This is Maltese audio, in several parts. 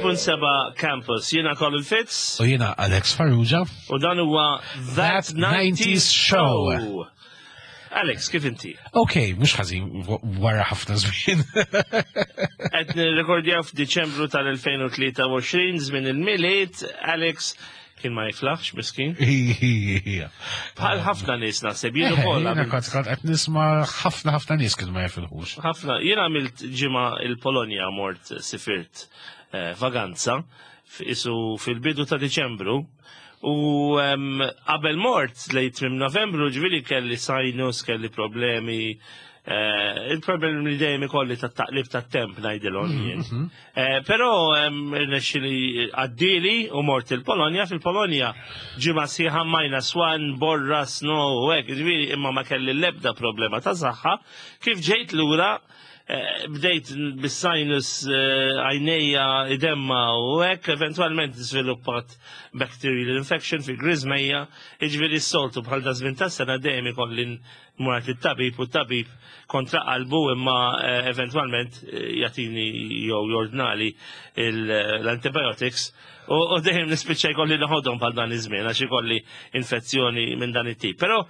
90.7 Campus. Jiena Colin Fitz. U jiena Alex Farrugia. U dan huwa That, That 90s Show. Show. Alex, kif inti? Ok, mhux ħażin wara ħafna żmien. Qed nirrekordjaw f'Diċembru tal-2023 żmien il-Milied, Alex kien ma jiflaħx miskin. Bħal ħafna nies naħseb jien ukoll. Jiena kont kont qed nisma' ħafna ħafna nies kienu ma jifilħux. Ħafna, jien għamilt ġimgħa il-Polonja mort sifirt eh, vaganza isu fil-bidu ta' Diċembru u qabel mort lejn tmiem Novembru ġifieri kelli sinus, kelli problemi Eh, il-problemi li dejjem ikolli ta' taqlib ta' temp ngħidilhom mhm, jien. Mhm. Eh, però rnexxili għaddili u mort il-Polonja, fil-Polonja ġimgħa sħiħa minus one, borra, snow u hekk, ġifieri imma ma kelli l-ebda problema ta' saħħa. Kif ġejt lura eh, bdejt bis-sinus għajnejja idemma u hekk, eventwalment żviluppat bacterial infection fil-griżmejja, jiġifieri s-soltu bħal da żmien tas-sena dejjem ikolli Mort it-tabib u t-tabib kontra qalbu imma eh, eventwalment eh, jagħtini jew jordnali l-antibiotics u dejjem nispiċċa jkolli naħodhom bħal dan iż-żmien għax ikolli infezzjoni minn dan it-tip. Però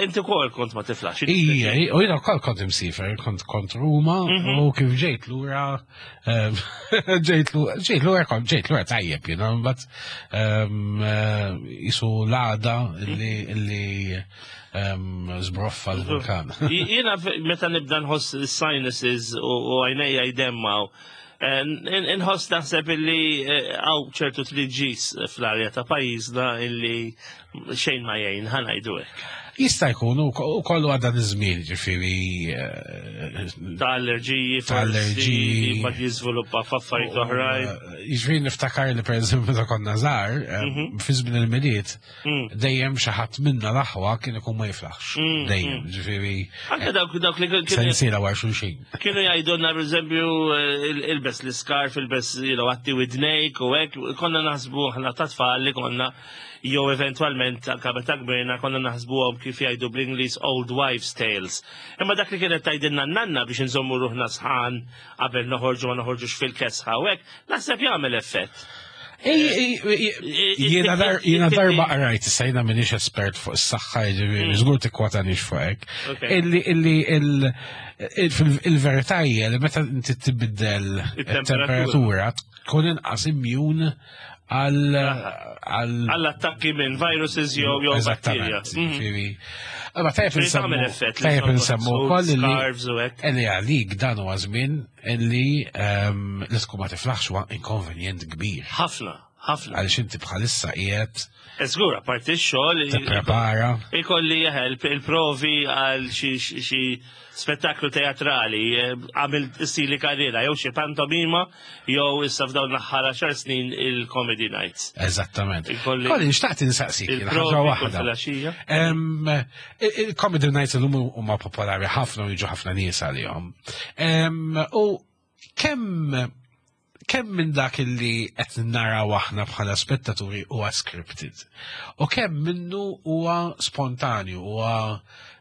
inti wkoll kont ma tiflax. Ija, u jiena wkoll kont imsifer, kont kont Ruma mhm. u kif ġejt lura ġejt lura kont ġejt lura tajjeb jiena mbagħad eh, isu l-għada li Zbroffa l-vulkan. Jiena meta nibda nħoss sinuses u għajnejja jdemmaw, eh, nħoss naħseb illi eh, għaw ċertu triġis fl-arja ta' pajjiżna illi xejn ma jgħin ħanajdu hekk. Jista' jkun u kollu għadha iż-żmien ġifieri. Eh, ta' allerġiji, ta' allerġiji, ma jiżviluppa f'affarijiet oħrajn. Jiġifieri niftakar li pereżempju meta konna żgħar, mhm. fi żmien il-Milied, Mm. Dejjem xi ħadd minna l-aħwa kien ikun ma jiflaħx. Mm, Dejjem, mm. ġifieri. Anke dawk dawk li kienu. Sensiela wara xulxin. Kienu jgħidulna pereżempju eh, ilbes l-iskarf, ilbes għatti widnejk u hekk, konna naħsbu aħna ta' tfal li konna jew eventwalment anke meta kbirna konna naħsbuhom kif jgħidu bl-Ingliż old wives tales. Imma dak li kienet tgħidilna n-nanna biex inżommu ruħna sħan qabel noħorġu ma noħorġux fil-kesħa u hekk, naħseb jagħmel effett. Jiena darba qrajt, issa jiena minix espert fuq is-saħħa, jiġifieri mm. żgur tikkwotanix fuq hekk. Illi illi il-verità hija li meta inti tibiddel it-temperatura tkun inqas immune għal għall-attakki minn viruses jew jew bakterja. Mm. Ma tajjeb insemmu tajjeb insemmu wkoll li għalik dan huwa żmien Illi ehm, li tkun ma tiflaħx huwa inkonvenjent kbir. Ħafna, ħafna. Għaliex inti bħalissa qiegħed. Żgur, apparti x-xogħol. Tipprepara. Ikolli jeħel il-provi għal xi spettaklu teatrali, eh, għamil stili karriera, jew xi pantomima, jew issa f'dawn l-aħħar 10 snin il-comedy nights. Eżattament. Kolli nxtaqt insaqsik, ħaġa waħda. Il-comedy nights illum huma popolari ħafna u jiġu ħafna nies għalihom. U kemm kemm minn dak li qed naraw aħna bħala spettaturi huwa scripted u kemm minnu huwa spontanju huwa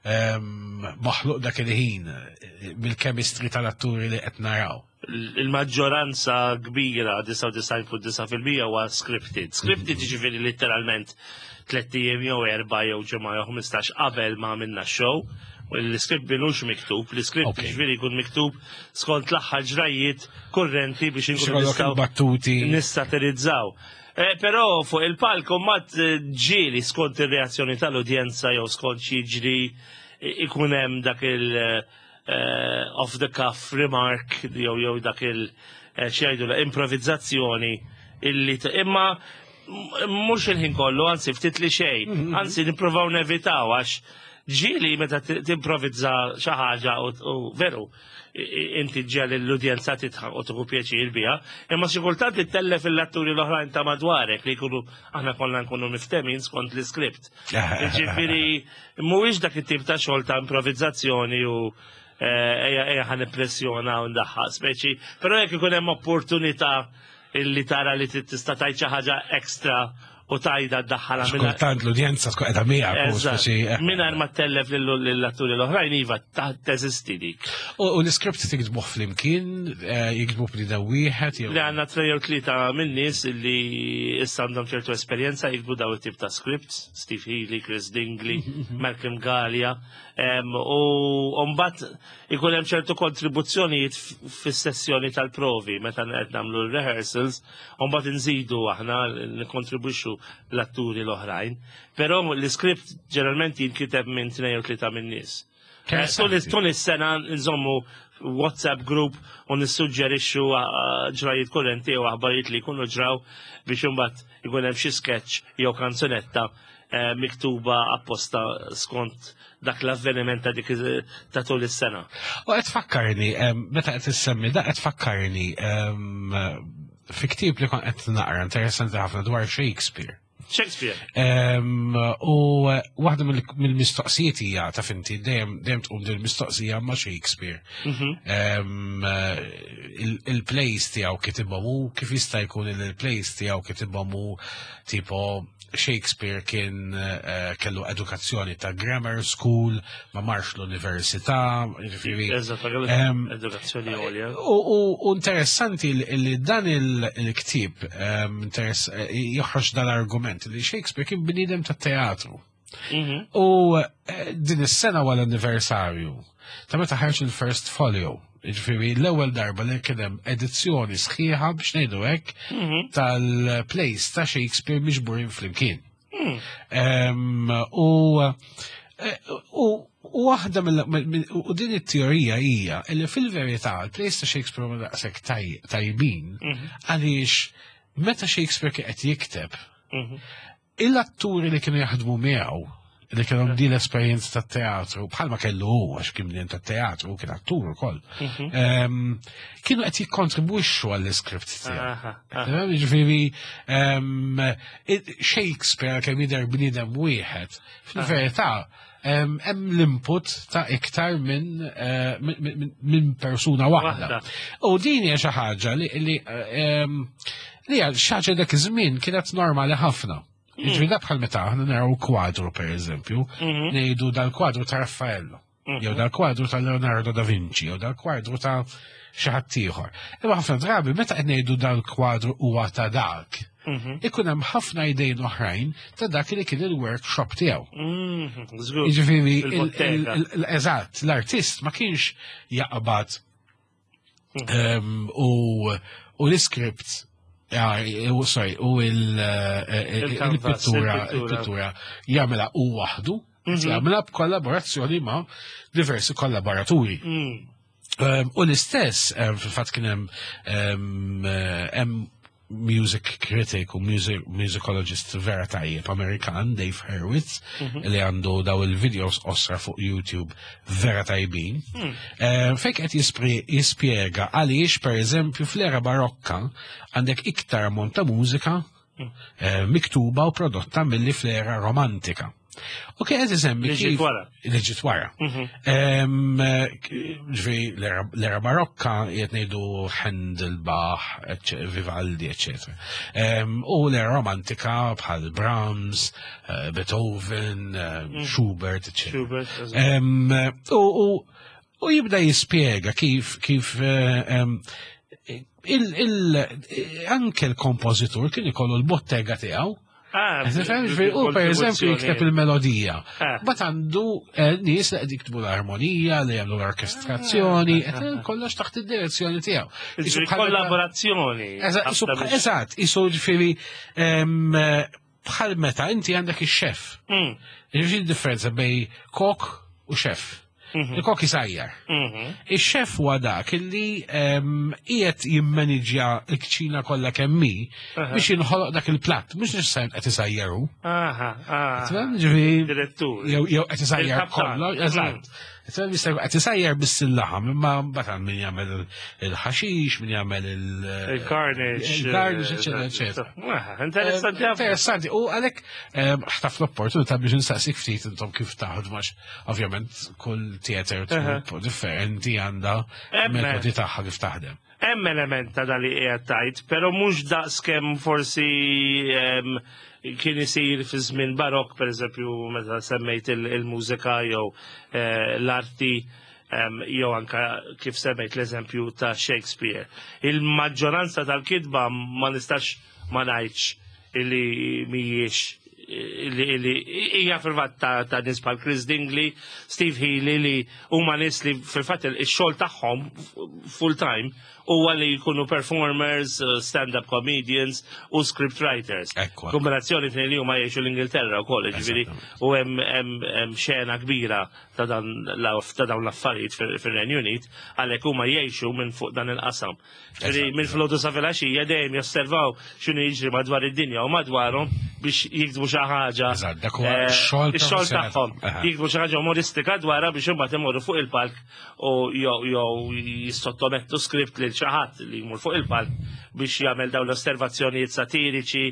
maħluq dak il-ħin bil-chemistry tal-atturi li qed naraw. Il-maġġoranza kbira, 99.9% huwa scripted. Scripted mhm. ġifieri literalment tlett ijiem jew erba' jew ġimgħa jew 15 qabel ma għamilna show. L-iskript bilux miktub, l-iskript ġifieri jkun miktub skont l-aħħar ġrajiet kurrenti biex inkunu nistgħu battuti nissatirizzaw. Eh, però fuq il-palk mat eh, ġieli skont ir-reazzjoni tal-udjenza jew skont xi jiġri ikun hemm dak il- eh, off the cuff remark jew jew dak il eh, xi jgħidu improvizzazzjoni illi imma mhux il-ħin kollu, anzi ftit li xejn, mm-hmm. anzi nippruvaw nevitaw għax ġieli meta timprovizza xi ħaġa u veru inti ġel l-udjenza titħaq u tieħu pjaċir biha, imma xi kultant ittellef il-atturi l-oħrajn ta' madwarek li jkunu aħna kollha nkunu miftemin skont l-iskript. Ġifieri Mhuwiex dak it-tip ta' xogħol ta' improvizzazzjoni u eh, ejja ejja ħan impressjona u ndaħħaq speċi, però jekk ikun hemm opportunità illi tara li tista' tgħid xi ħaġa ekstra u tajda d-daħħala minn. Kultant l-udjenza tkun qiegħda miegħek. Eh. Mingħajr ma tellef lill-atturi l-oħrajn iva teżisti dik. U l-iskript tiktbuh flimkien, eh, jiktbuh bniedem wieħed jew. Li għandna trej jew tlieta minn nies li issa għandhom ċertu esperjenza jiktbu daw it-tip ta' scripts, Steve Healy, Chris Dingley, Malcolm Gallia, u mbagħad ikun hemm ċertu kontribuzzjonijiet fis-sessjoni tal-provi meta qed nagħmlu l-rehearsals, u mbagħad inżidu aħna nikkontribwixxu l-atturi l-oħrajn. Però l-iskript ġeneralment jinkiteb minn tnejn jew tlieta minn nies. Eh, tul is-sena nżommu WhatsApp group u nissuġġerixxu eh, ġrajiet kurrenti jew aħbarijiet li jkunu ġraw biex imbagħad ikun hemm xi sketch jew kanzunetta eh, miktuba apposta skont dak l-avveniment ta' dik ta' tul is-sena. U qed fakkarni, meta qed issemmi da qed fakkarni fi ktieb li kont qed naqra interessanti ħafna dwar Shakespeare. Shakespeare. U waħda mill-mistoqsijiet hija ta' finti dejjem dejjem tqum din mistoqsija ma' Shakespeare. Mhm. Il-plays tiegħu kitibhom hu kif jista' jkun il-plays tiegħu kitibhom hu tipo Shakespeare kien eh, kellu edukazzjoni ta' grammar school, ma marx l-università, jiġifieri. Edukazzjoni għolja. U interessanti li dan il-ktieb eh, joħroġ dal-argument li Shakespeare kien bniedem ta' teatru. Mhm. U eh, din is-sena wara l-anniversarju ta' meta ħarġ il-First Folio, Ġifieri l-ewwel darba li kien hemm edizzjoni sħiħa biex ngħidu hekk mhm. tal-plays ta' Shakespeare miġburin flimkien. Mm. U eh, u waħda mill u din it-teorija hija li fil-verità l-plays ta' Shakespeare ma daqshekk tajbin mhm. għaliex meta Shakespeare kien qed jikteb mhm. Il-atturi li kienu jaħdmu miegħu li kellhom din l-esperjenza tat-teatru, bħalma kellu hu għax kien bnien tat-teatru, kien attur ukoll. Mhm. Ehm, kienu qed jikkontribwixxu għall-iskript tiegħu. Jiġifieri ehm, Shakespeare kemm jidher bniedem wieħed, fil-verità ehm, hemm l-input ta' iktar minn eh, min persuna waħda. U din hija xi ħaġa li Li għal xaġa dak iż-żmien kienet normali ħafna. Hmm. Jiġri da bħal meta aħna naraw kwadru pereżempju, mhm. ngħidu dal-kwadru ta' Raffaello, mhm. jew dal-kwadru ta' Leonardo da Vinci, jew dal-kwadru ta' xi ħadd ieħor. Imma ħafna drabi meta qed ngħidu dal-kwadru huwa ta' dak, mhm. ikun hemm ħafna idejn oħrajn ta' dak li kien il-workshop tiegħu. Jiġifieri eżatt, l-artist ma kienx jaqbad U l-iskript, sorry, u il-pittura, il-pittura jagħmilha u waħdu, mhm. jagħmilha b'kollaborazzjoni ma' diversi kollaboraturi. Mm. U l-istess, fil-fatt kien hemm music critic u music, musicologist vera tajjeb Amerikan, Dave Hurwitz, mm -hmm. li għandu daw il-videos osra fuq YouTube vera tajbin. Mm. Eh, fejk qed jispjega għaliex per eżempju fl-era barokka għandek iktar ammont ta' mużika mm. eh, miktuba u prodotta milli fl-era romantika. U kien qed isemmi Li ġiet wara. Li ġiet wara. Mhm. Ġifieri l-era barokka qed ngħidu Handel, Bach, Vivaldi, eċetera. U l-era romantika bħal Brahms, eh, Beethoven, eh, mhm. Schubert, eċetera. U jibda jispjega kif kif eh, il, anke l-kompożitur kien ikollu l-bottega tiegħu Ah, u per eżempju jikteb il-melodija. Ah. Bat għandu eh, nies li qed jiktbu l-armonija, li jagħmlu l-orkestrazzjoni, ah. kollox taħt id-direzzjoni tiegħu. Kollaborazzjoni. Eżatt, isu ġifieri bħal meta inti għandek ix-xef. Mm. Ġifieri differenza bej kok u xef. Mhm. Il-kok isajjar. Mhm. Ix-xef huwa dak illi qiegħed jimmaniġja l-kċina kollha kemm hi biex jinħoloq dak il-platt, mhux neċessarjament qed isajjaru. Ġifieri direttur. Jew qed isajjar kollha, eżatt. Mm. Jista' qed isajjar biss il-laħam, imma mbagħad min jagħmel il-ħaxix, min jagħmel il-garnish, il-garnish, eċetera, eċetera. Ah, interessanti. Interessanti. U għalhekk ħtaf l-opportunità biex insaqsik ftit intom kif taħdmu għax ovvjament kull theater troupe differenti għandha metodi tagħha kif taħdem. Hemm element ta' dali qiegħed tajt, però mhux daqs kemm forsi kien isir fi żmien barok, pereżempju meta semmejt il-mużika jew l-arti jew anka kif semmejt l-eżempju ta' Shakespeare. Il-maġġoranza tal-kitba ma nistax ma ngħidx illi mhijiex li hija fil-fatt ta' nies bħal Chris Dingley, Steve Healy li huma nies li fil-fatt ix-xogħol tagħhom full time huwa li jkunu performers, stand-up comedians u script writers. Kombinazzjoni tnejn li huma jgħixu l-Ingilterra wkoll, ġifieri u hemm xena kbira ta' dawn l-affarijiet fir-Renju Unit, għalhekk huma jgħixu minn fuq dan il-qasam. Ġifieri minn filgħodu sa filgħaxija dejjem josservaw x'inhu jiġri madwar id-dinja u madwarhom biex jiktbu xi ħaġa. Eżatt, dak huwa x-xogħol ix-xogħol tagħhom. Jiktbu xi ħaġa umoristika dwarha biex imbagħad imorru fuq il-palk u jew jissottomettu skript lil xi ħadd li jmur fuq il-palk biex jagħmel dawn l-osservazzjonijiet satiriċi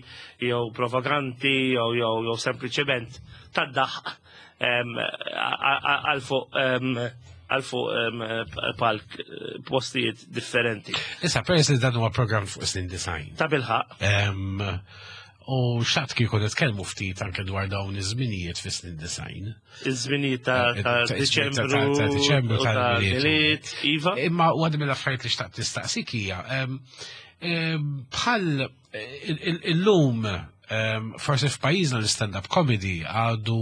jew provokanti jew jew sempliċement tad-daħq għal fuq għal fuq palk postijiet differenti. Issa, peress li dan huwa programm fuq snin design. Ta' bilħaq. U xtaqt kieku nitkellmu ftit anke dwar dawn iż-żminijiet fi snin design. Iż-żminijiet ta' Diċembru. Ta' Diċembru tal-Milied, iva. Imma waħda mill-affarijiet li xtaqt nistaqsik hija bħal illum forsi f'pajjiżna l-stand-up comedy għadu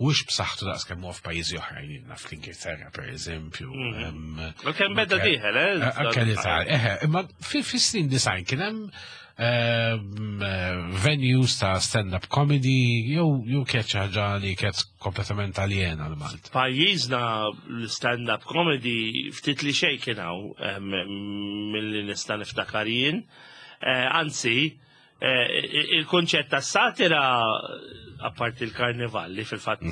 mhux b'saħħtu daqs kemm huwa f'pajjiżi oħrajn jiena fl-Ingilterra pereżempju. Kemm beda dieħel, eh? Anke l-Italja, eħe, imma fis-snin design kien hemm venues ta' stand-up comedy jew kienet xi ħaġa li kienet kompletament aljena għal Malta. Pajjiżna l-stand-up comedy ftit li xejn kien hawn milli nista' niftakar jien. Anzi, il-kunċett ta' satira apparti il-karnival li fil-fatt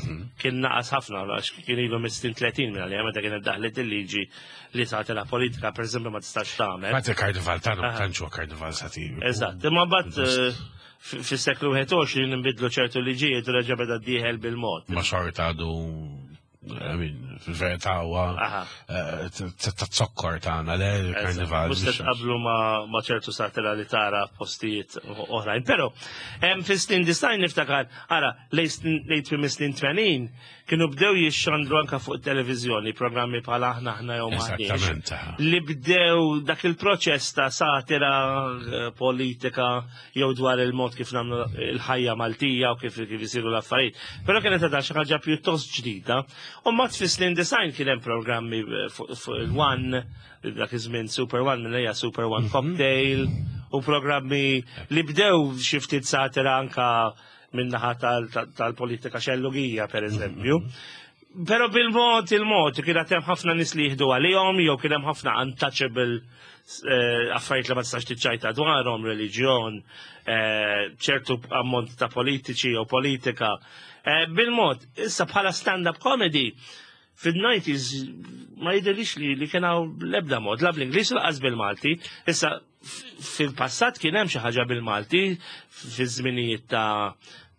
kien naqas ħafna għax kien ilu mis-snin 30 minn għalija meta kienet daħlet il-liġi li satira politika pereżempju ma tistax tagħmel. Fatt il-karnival tagħna ma tantx huwa karnival satiriku. Eżatt, imma mbagħad fis-seklu 21 nbidlu ċertu liġijiet u reġa' beda dieħel bil-mod. Ma xorta għadu, I mean, fil-verità huwa ta' zokkor tagħna le il-karnival. Mhux se tqablu ma' ċertu satira li tara postijiet oħrajn. Però fis-snin design niftakar, ara, lejn tmiem is-snin 80 kienu bdew jixxandru anka fuq televizjoni programmi bħal Aħna Aħna jew M'Aħniex. Li bdew dak il-proċess ta' satira politika jew dwar il-mod kif nagħmlu il-ħajja Maltija u kif isiru l-affarijiet. Però kienet għadha xi ħaġa pjuttost ġdida. U mbagħad fis-snin design kien hemm programmi fuq il-One, dak iż-żmien Super One minn hija Super One Cocktail, u programmi li bdew xi ftit satira anka min-naħa tal-politika xellugija, per eżempju. Però bil-mod il-mod kien hemm ħafna nies li jieħdu għalihom jew kien hemm ħafna untouchable affarijiet li ma tistax tiċċajta dwarhom, reliġjon, ċertu ammont ta' politiċi jew politika. Bil-mod, issa bħala stand-up comedy fil-90s ma jidhirlix li kien hawn l-ebda mod, la bl-Ingliż u lanqas bil-Malti. Issa fil-passat kien hemm xi ħaġa bil-Malti fiż-żminijiet ta'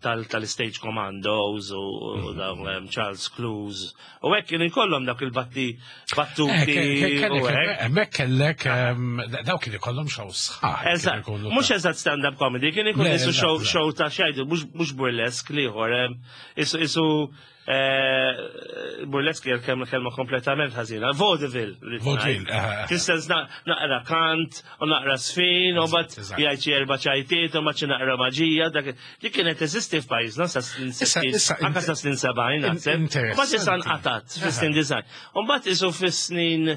tal-Stage Commandos u dawn Charles Clowes. U hekk kienu jkollhom dak il-batti battuti. U hekk. Hemmhekk kellek daw kien ikollhom show sħaħ. Eżatt, mhux eżatt stand-up comedy, kien ikun isu show ta' xajdu, mhux burlesk liħor, isu burlesk hija kelma kompletament ħażina, vaudeville. Vaudeville. Fis-sens naqra kant u naqra sfin u bat jgħid xi erba' ċajtiet u ma xi naqra maġija, dak li kienet teżisti f'pajjiżna sa snin 60, anke sa snin 70 naħseb. Mbagħad issa nqatat fis-snin design. U mbagħad isu fis-snin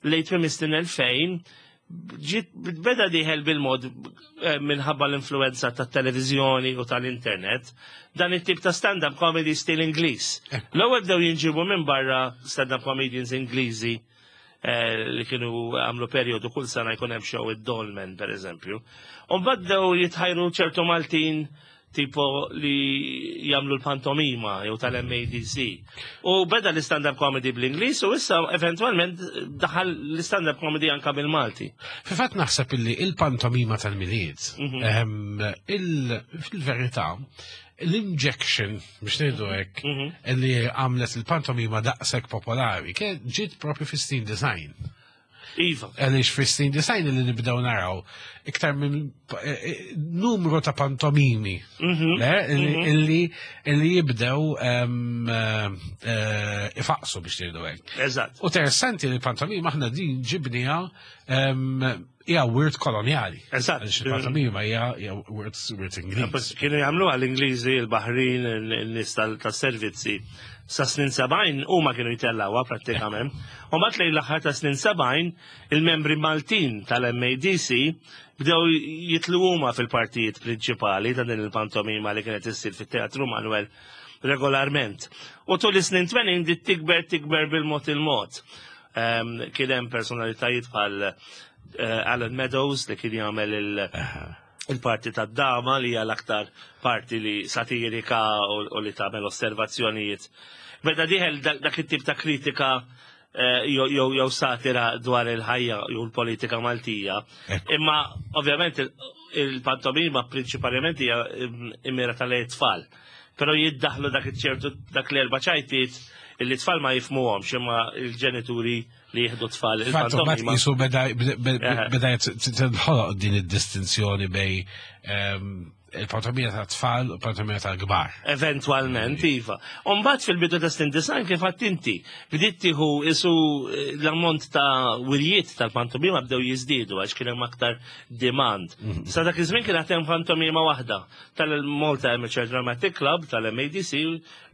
lejn tmiem is-snin 2000 ġiet beda dieħel bil-mod minħabba l-influenza tat-televiżjoni u tal-internet dan it-tip ta' stand-up comedy stil Ingliż. L-ewwel bdew jinġibu minn barra stand-up comedians Ingliżi li kienu għamlu periodu kull sena jkun hemm show id-Dolmen per eżempju. U mbagħad bdew jitħajru ċertu Maltin tipo li jagħmlu l-pantomima jew tal-MADC. U beda l-stand-up comedy bl-Ingliż u issa eventwalment daħal l-stand-up comedy anka bil-Malti. Fil-fatt naħseb illi il-pantomima tal-Milied, fil-verità, l-injection, biex ngħidu hekk, li għamlet il-pantomima daqshekk popolari, kien ġiet propju fis-snin design. Iva. Għaliex fis-snin design li nibdew naraw iktar minn eh, eh, numru ta' pantomimi mhm. mhm. illi illi jibdew eh, ifaqsu biex ngħidu hekk. Eżatt. U interessanti li pantomima aħna din ġibniha hija wirt kolonjali. Eżatt. Il-pantomima hija wirt wirt Ingliż. Kienu jagħmlu għall-Ingliżi, il-Baħrin, in-nies tas-servizzi. Sa snin 70 huma kienu jtellgħuha prattikament. U mbagħad lejn l-aħħar ta' snin 70 il-membri Maltin tal-MADC bdew jitlu huma fil-partijiet prinċipali ta' din il-pantomima li kienet issir fit-Teatru Manuel regolarment. U tul is-snin 80 dit tikber tikber bil-mod il-mod. Kien hemm personalitajiet bħal eh, Alan Meadows li kien jagħmel il-parti tad-dama li hija l-aktar parti li satirika u li tagħmel osservazzjonijiet. Beda dieħel dak it-tip ta' kritika eh, jew satira dwar il-ħajja jew l-politika Maltija. Imma ovvjament il-pantomima prinċipalment hija immira tal-tfal. Però jiddaħlu dak iċ-ċertu dak l-erba' ċajtiet illi tfal ma jifmuhomx imma il-ġenituri li jieħdu tfal il-pantomima. Jisu beda beda tinħoloq din id-distinzjoni bej ehm, il-pantomima ta' tfal u pantomima ta' kbar. Eventualment, iva. Umbat fil-bidu ta' snin design kif għadt inti, bdiet tieħu isu eh, l-ammont ta' wirjiet tal-pantomima bdew jiżdiedu għax kien hemm aktar demand. Mhm. Sa dak iż-żmien kien hemm pantomima waħda tal-Malta Amateur Dramatic Club tal-MADC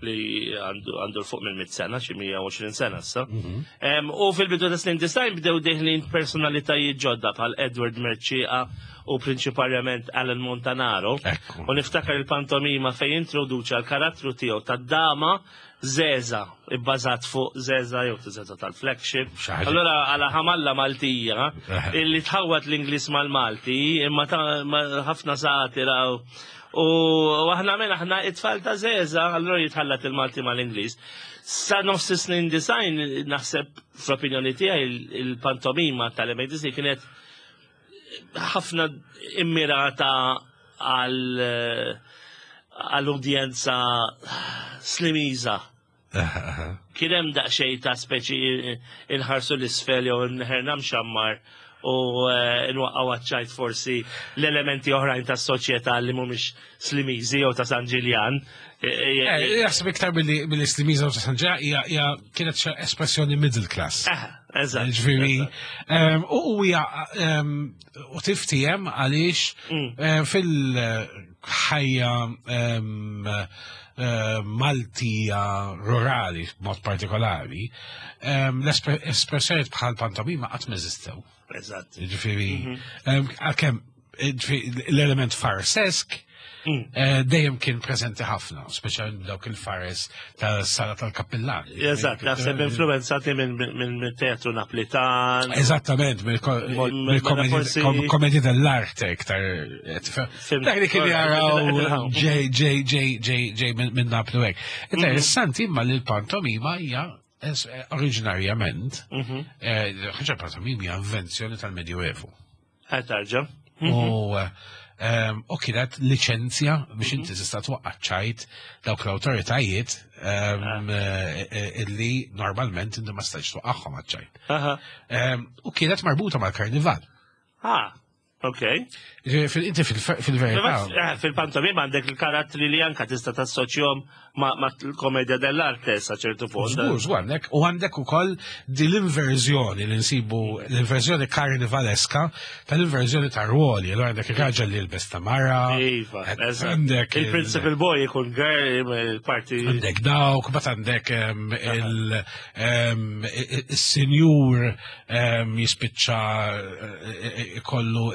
li għandu l-fuq minn 100 sena, xi 120 sena issa. Mhm. U fil-bidu ta' snin design bdew deħlin personalitajiet ġodda bħal Edward Merċieqa u prinċiparjament Alan Montanaro. U niftakar il-pantomima fejn introduċa l-karattru tiegħu tad-dama Zeza, ibbażat fuq Zeza jew Zeza tal-flagship. Allora għala ħamalla Maltija illi tħawat l-Ingliż mal-Malti imma ħafna satira u aħna minn aħna it-tfal ta' Zeza, allora jitħallat il-Malti mal-Ingliż. Sa nofs snin design naħseb fl-opinjoni tiegħi il-pantomima tal-MADC kienet ħafna immirata għal għall-udjenza slimiża. Kien hemm daqsxejn ta' speċi inħarsu l-isfel jew nħerna mxammar u eh, nwaqqgħu għaċ-ċajt forsi l-elementi oħrajn tas-soċjetà li mhumiex Slimiżi jew ta' San Ġiljan. Eh, eh, jaħseb iktar billi Slimiża u ta' San Ġiljan hija kienet espressjoni middle class. Eżatt. Ġifieri, ehm, u hija ehm, u tiftijem għaliex mm. eh, fil-ħajja ehm, Maltija rurali b'mod partikolari, l-espressjonijiet bħal pantomima qatt m'eżistew. Eżatt. Ġifieri, mhm. għalkemm l-element farsesk mm. eh, dejjem kien preżenti ħafna, speċjalment dawk il-fares tal-sala tal-kappillan. Eżatt, naħseb influenzati minn teatru Naplitan. Eżattament, mill-komedja dell'arte iktar. Eh, dak li kien jaraw ġej ġej ġej ġej ġej minn Naplu hekk. Mhm. Interessanti imma li l-pantomima hija eh, oriġinarjament, mhm. ħaġa pantomima hija invenzjoni tal-Medjuevu. Tarġa. U ehm, u kienet liċenzja biex inti mhm. tista' twaqqa' ċajt dawk l-awtoritajiet ehm, ah. eh, eh, illi normalment inti ma stajtx twaqqagħhom għaċ-ċajt. Ehm, u kienet marbuta mal-karnival. Ah, ok. Inti fil-verità. Eh, fil-pantomima għandek il-karattri li anka tista' tassoċjhom ma' l-komedja dell'arte sa ċertu punt. Żgur, żgur għandek u għandek ukoll din l-inverżjoni li nsibu l-inverżjoni karnivaleska tal-inverżjoni ta' ruoli, allura għandek ir-raġel li jilbes ta' mara. Iva, għandek il-principal boy ikun girl il-parti. Għandek dawk, bat għandek il-sinjur jispiċċa eh, eh, kollu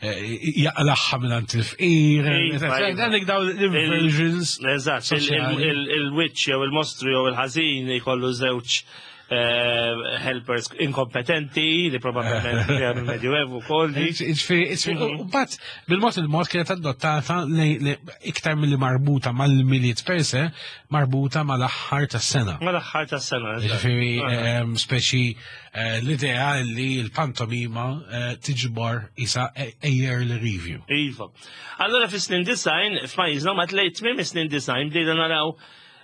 jaqlaħħa minn għand il-fqir. Iva, iva. Għandek daw l-inversions. Eżatt, il-witch jew il-mostru jew il-ħażin jkollu żewġ eh, helpers inkompetenti li probabbilment għam il-Medjuevu kol. Mhm. Bat, bil-mod il-mod kienet adottata li iktar mill-li marbuta mal-miliet per se, marbuta mal-aħħar tas-sena. Mal-aħħar tas-sena. Ġifieri ehm, speċi eh, l-idea li l-pantomima eh, tiġbor isa a yearly review. Iva. Allora fis-snin design, f'pajjiżna ma tlejt tmiem is-snin design bdejna naraw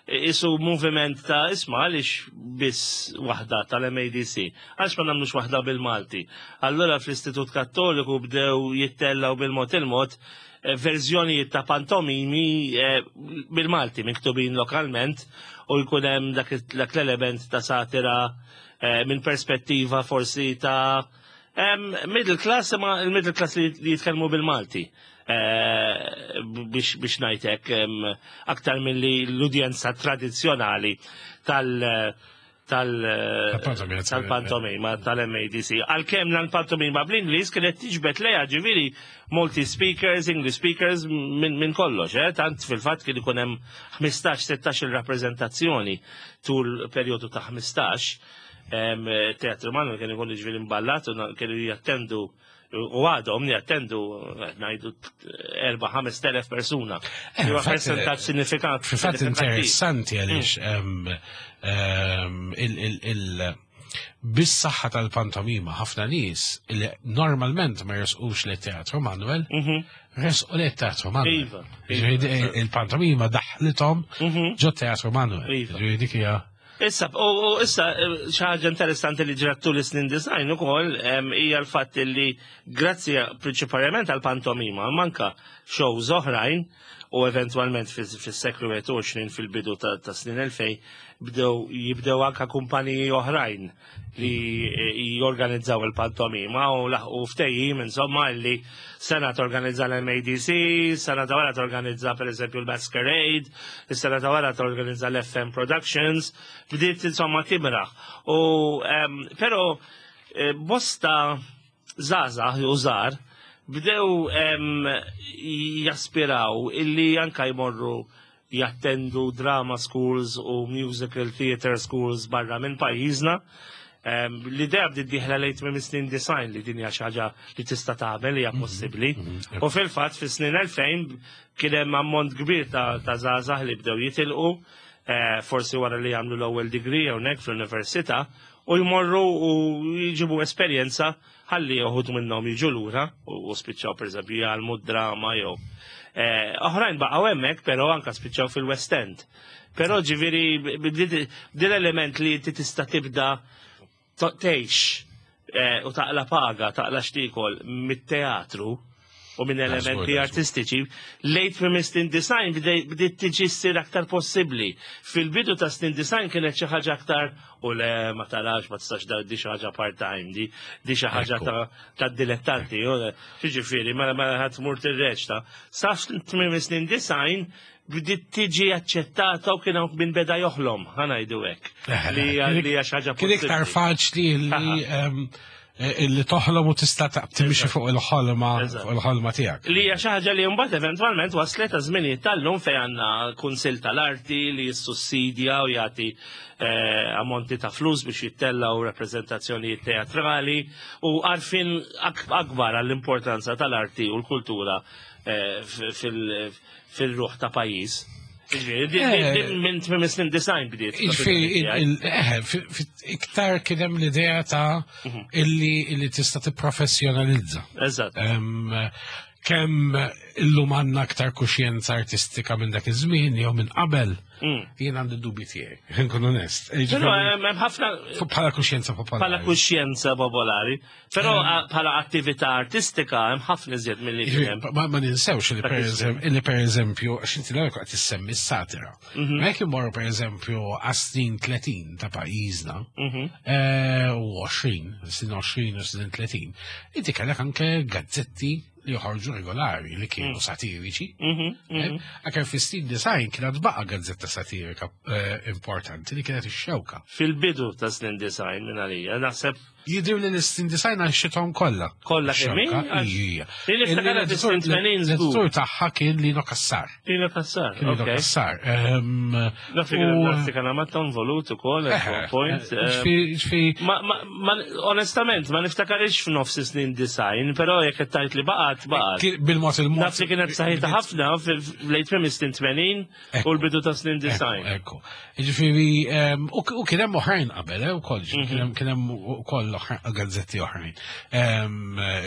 Isu moviment ta' isma għaliex biss waħda tal-MADC, għaliex ma nagħmlux waħda bil-Malti. Allura fl-Istitut Kattoliku bdew jittellaw bil-mod il-mod verżjonijiet ta' pantomimi bil-Malti miktubin lokalment u jkun hemm dak l-element ta' satira minn perspettiva forsi ta' middle class, imma il-middle class li jitkellmu bil-Malti. Biex ngħidlek aktar milli l-udjenza tradizzjonali tal tal tal-pantomima tal-MADC. Għalkemm l-pantomima bl-Ingliż kienet tiġbed lejha ġifieri multi speakers, English speakers minn kollox, eh? Tant fil-fatt kien ikun hemm 15-16 il-rappreżentazzjoni tul perjodu ta' 15. Teatru Manoel kien ikun ġifieri imballat u kienu jattendu u għadhom jattendu ngħidu 4-5 persuna. Huwa percentaġġ sinifikat. Fil-fatt interessanti għaliex bis-saħħa tal-pantomima ħafna nies li normalment ma jersqux li Teatru Manuel, resqu li Teatru Manuel. Il-pantomima daħlithom ġo Teatru Manuel. Ġifieri dik hija Issa, u issa, xi ħaġa interessanti li ġrat tul is-snin disgħin ukoll hija l-fatt li grazzi prinċipalment għal pantomima, manka shows oħrajn u eventwalment fis-seklu 21 fil-bidu ta' snin 2000 bdew jibdew anka kumpaniji oħrajn li jorganizzaw il-pantomima u laħqu ftehim insomma li sena torganizza l-MADC, sena ta' wara torganizza per eżempju l-Masquerade, is-sena ta' wara torganizza l-FM Productions, bdiet insomma timraħ. U però bosta żgħażagħ u żgħar bdew jaspiraw illi anka jmorru jattendu drama schools u musical theater schools barra minn pajjiżna. L-idea bdiet dieħla lejn tmiem snin 90 li din hija xi ħaġa li tista' tagħmel, hija possibbli. U fil-fatt fis-snin 2000 kien hemm ammont kbir ta' żgħażagħ li bdew jitilqu, forsi wara li jagħmlu l-ewwel degree hawnhekk fl-università, u jmorru u jġibu esperjenza ħalli uħud minnhom jiġu lura u spiċċaw pereżempju jgħallmu drama jew. Oħrajn baqgħu hemmhekk, però anka spiċċaw fil-West End. Però ġifieri din element li inti tista' tibda tgħix u taqla paga, taqla x'tiekol mit-teatru u minn elementi artistiċi, late minn snin 90 bdiet tiġi ssir aktar possibbli. Fil-bidu ta' snin 90 kienet xi ħaġa aktar u le ma tarax, ma tistax da di xi ħaġa part-time, di xi ħaġa ta' dilettanti, ġifieri, ma ħadd mur tirreċta. Sa tmiem snin 90 bdiet tiġi aċċettata u kien hawn min beda joħlom, ħa ngħidu hekk. Li hija xi ħaġa Kien iktar faċli li toħlom u tista' timxi fuq il-ħolma fuq il-ħolma tiegħek. Li hija xi ħaġa li mbagħad eventwalment waslet ta' żminijiet tal-lum fejn għandna kunsill tal-arti li jissussidja u jagħti ammonti ta' flus biex jittellgħu rappreżentazzjonijiet teatrali u għarfien akbar għall-importanza tal-arti u l-kultura fil-ruħ ta' pajjiż. Ġifieri, minn tmiem snin 90 bdiet. Ġifieri, iktar kien hemm l-idea ta' illi tista' tipprofessjonalizza. Kemm illum għandna aktar kuxjenza artistika minn dak iż-żmien jew minn qabel, jien għandi dubi tiegħi, nkun onest. Però hemm ħafna bħala kuxjenza popolari. Bħala kuxjenza popolari. Però bħala attività artistika hemm ħafna iżjed milli kien hemm. Ma ninsewx li per eżempju, għax inti l-ewwel qed issemmi s-satira. Ma jekk immorru per eżempju għas-snin 30 ta' pajjiżna, u 20, snin 20 u snin 30, inti kellek anke gazzetti li joħorġu regolari li kienu satiriċi. Anke fis-snin 90 kienet baqa' gazzetta satirika importanti li kienet ix-Xewka. Fil-bidu ta' snin 90 minn għalija, naħseb Jidir li l-snin 90 għaxxithom kollha. Kollha kemm Ix-Xewka, ija. Li niftakar fis-snin 80 żgur. L-editur tagħha kien Lino Cassar. Lino Cassar, Kien Lino ok. Cassar. Naf li kien naf li kien għamatton involut ukoll at one point. Ġifieri Ma, onestament, ma niftakarix f'nofs snin 90, però jekk qed tgħid li baqgħet mbagħad baqgħet. Bil-mod il-mod. Naf li kienet saħħitha ħafna fil-late tmiem is-snin 80 u l-bidu ta' snin 90. Ekku. Ġifieri, u kien hemm oħrajn qabel, ukoll, kien hemm ukoll gazzetti oħrajn.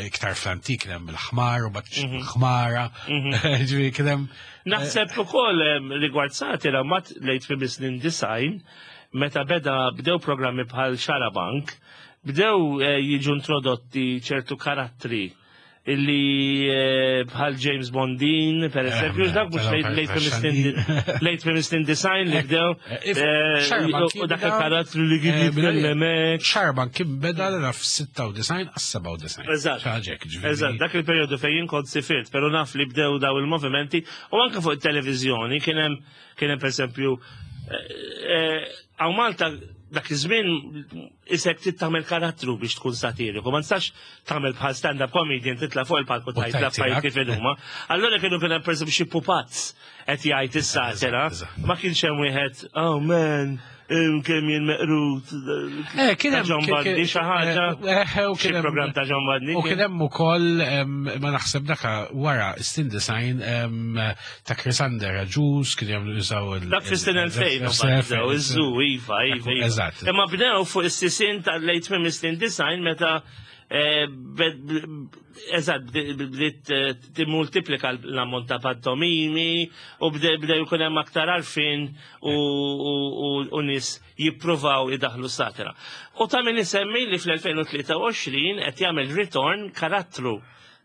Iktar fl-antik kien hemm il-ħmar u bat ħmara. Ġifieri kien hemm. Naħseb ukoll rigward satira mat late tmiem is-snin 90 meta beda bdew programmi bħal Xarabank, bdew jiġu introdotti ċertu karattri illi bħal James Bondin, per eżempju, dak mhux late feminist design li bdew u dak il-karattru li kien jitkellem hekk. Xarabank kien beda l f-96 għas-97. Eżatt. Eżatt, dak il-perjodu fejn jien kont sifirt, però naf li bdew daw il-movimenti u anke fuq it-televiżjoni kien hemm kien hemm pereżempju hawn Malta dak iż-żmien isek trid tagħmel karattru biex tkun satiriku, ma nistax tagħmel bħal stand-up comedian titla' fuq il-palku tgħid l-affarijiet kif huma. Allura kienu kien hemm pereżempju xi pupazz qed jgħid is-satira, ma kienx hemm wieħed, oh man, kemm jien meqrut. Kien hemm John Bundy xi ħaġa. Xi programm ta' John Bundy. U kien hemm ukoll ma naħseb daka wara Stin Design ta' Chrysander Agius kien jagħmlu jużaw il- Dak fis-snin 2000 bdew iż-żu, iva, iva, iva. Eżatt. Imma bdew fuq is-sisin tal-late tmiem is-snin design meta eżatt bdiet timmultiplika l-ammont ta' pantomimi u bdew jkun hemm aktar għarfien u nies jippruvaw idaħlu satira. U ta' min isemmi li fl-2023 qed jagħmel ritorn karattru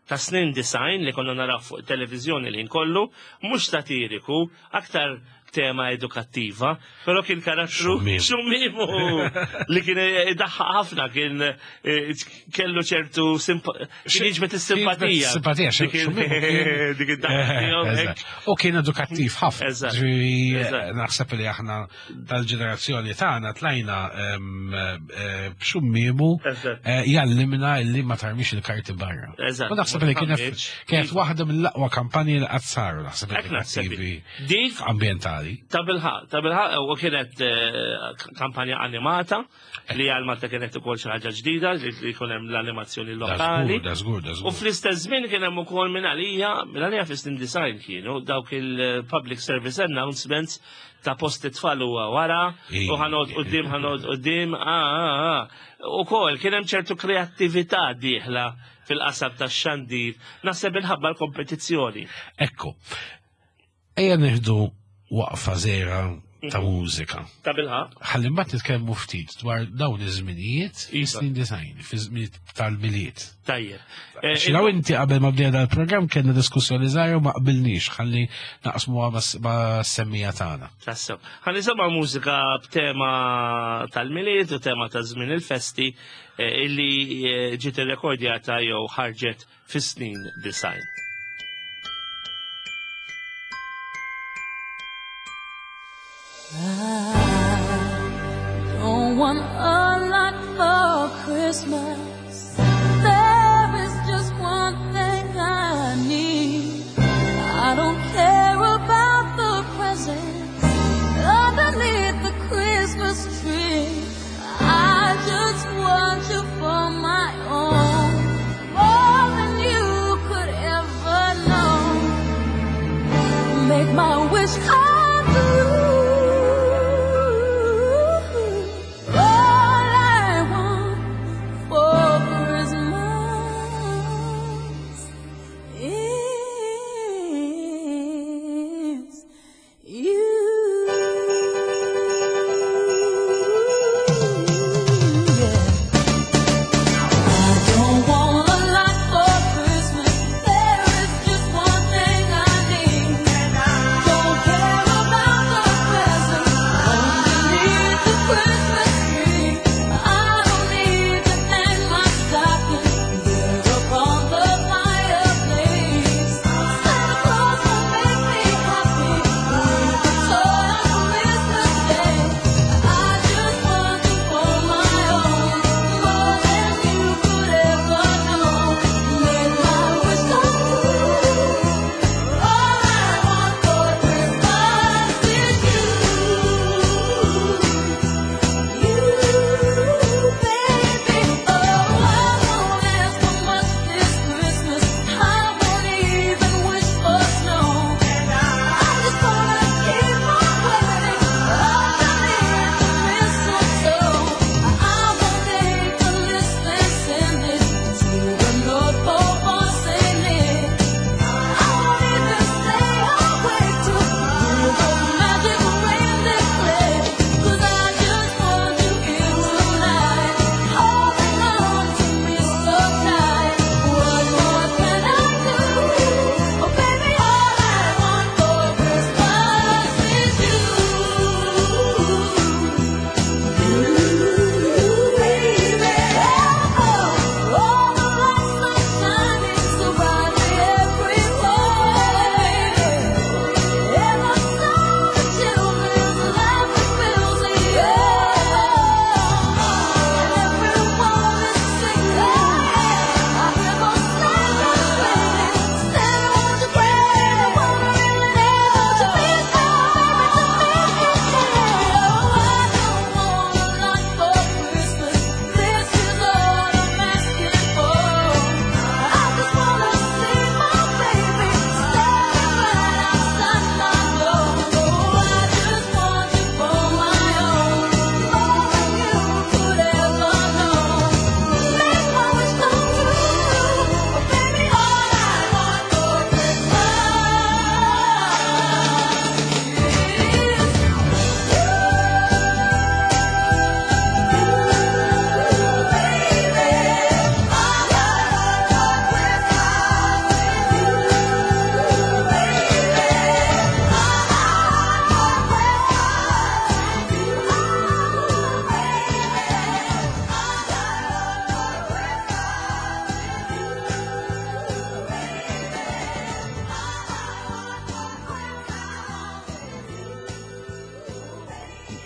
ta' snin design li konna naraw fuq televiżjoni li kollu, mhux satiriku, aktar tema edukattiva, però kien karattru xummimu li kien idaħħaq ħafna, kien kellu ċertu kien jiġbed is-simpatija. Simpatija, dik id-daħħa. U kien edukattiv ħafna. Naħseb li aħna tal-ġenerazzjoni tagħna tlajna b'xummimu jgħallimna li ma tarmix il-karti barra. U naħseb li kienet waħda mill-aqwa kampanji li qatt saru naħseb edukattivi Dik ambientali. Ta' bilħaq, ta' bilħaq, u kienet kampanja animata li għal Malta kienet ukoll xi ħaġa ġdida li jkun hemm l-animazzjoni lokali. Da żgur, da żgur. U fl-istess żmien kien hemm ukoll minn għalija, minn għalija fis-snin design kienu dawk il-public service announcements ta' post it-tfal huwa wara u ħanod qudiem ħanod qudiem, U kol kien hemm ċertu kreattività dieħla fil-qasab tax-xandir, naħseb inħabba l-kompetizzjoni. Ekku. Ejja nieħdu waqfa żgħira ta' mużika. Ta' bilħaq. Ħalli mbagħad nitkellmu ftit dwar dawn iż-żminijiet fis-snin design, fiż-żminijiet tal-Milied. Tajjeb. Xi inti qabel ma bdejna dal-programm kellna diskussjoni żgħira u ma qbilniex ħalli naqsmuha ma' semmija tagħna. Tassew. Ħa nisimgħu mużika b'tema tal-Milied u tema ta' żmien il-festi illi ġiet irrekordjata jew ħarġet fis-snin design. I don't want a lot for Christmas. There is just one thing I need. I don't care about the presents underneath the Christmas tree. I just want you for my own, more than you could ever know. Make my wish come true. All I want for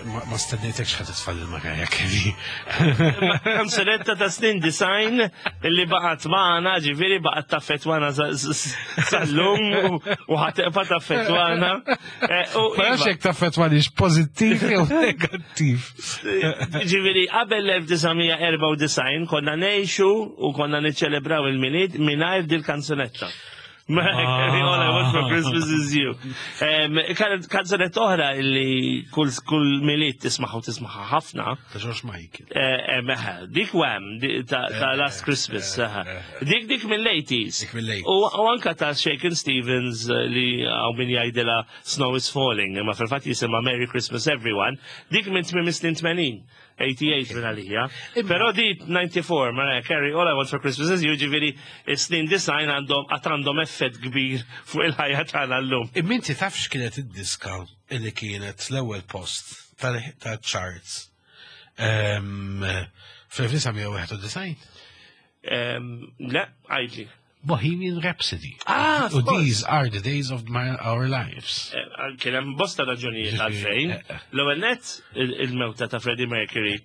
Ma stennejtekx ħa titfal il-Mariah Carey. Kanzunetta ta' snin 90 li baqgħet magħna, ġifieri baqgħet taffetwana sal-lum u ħa tibqa' taffetwana. Ma nafx jekk taffetwanix pożittiv jew negattiv. Ġifieri qabel l-1994 konna ngħixu u konna niċċelebraw il-Milied mingħajr dil-kanzunetta. All I want for Christmas is you. Kanzunetta oħra li kull Milied tismaħu tismaħa ħafna. Ta' George Michael. Meħe, dik Wham, ta' Last Christmas. Dik mill-80s. Dik mill-80s. U anka ta' Shakin' Stevens li hawn min jgħidilha Snow is Falling, imma fil-fatt jisimha Merry Christmas Everyone, dik minn tmiem is-snin 80. 88 minn għalija. Però di 94, Mariah Carey, All I Want for Christmas is You, ġifieri, snin 90 għandhom għad għandhom effett kbir fuq il-ħajja tagħna llum. Imma inti taf x'kienet id-diska illi kienet l-ewwel post tal-charts fl-1991? Le, għidli. Bohemian Rhapsody. Ah, U These are the days of our lives. Kien hemm bosta raġunijiet għalfejn. L-ewwel net il-mewta ta' Freddie Mercury.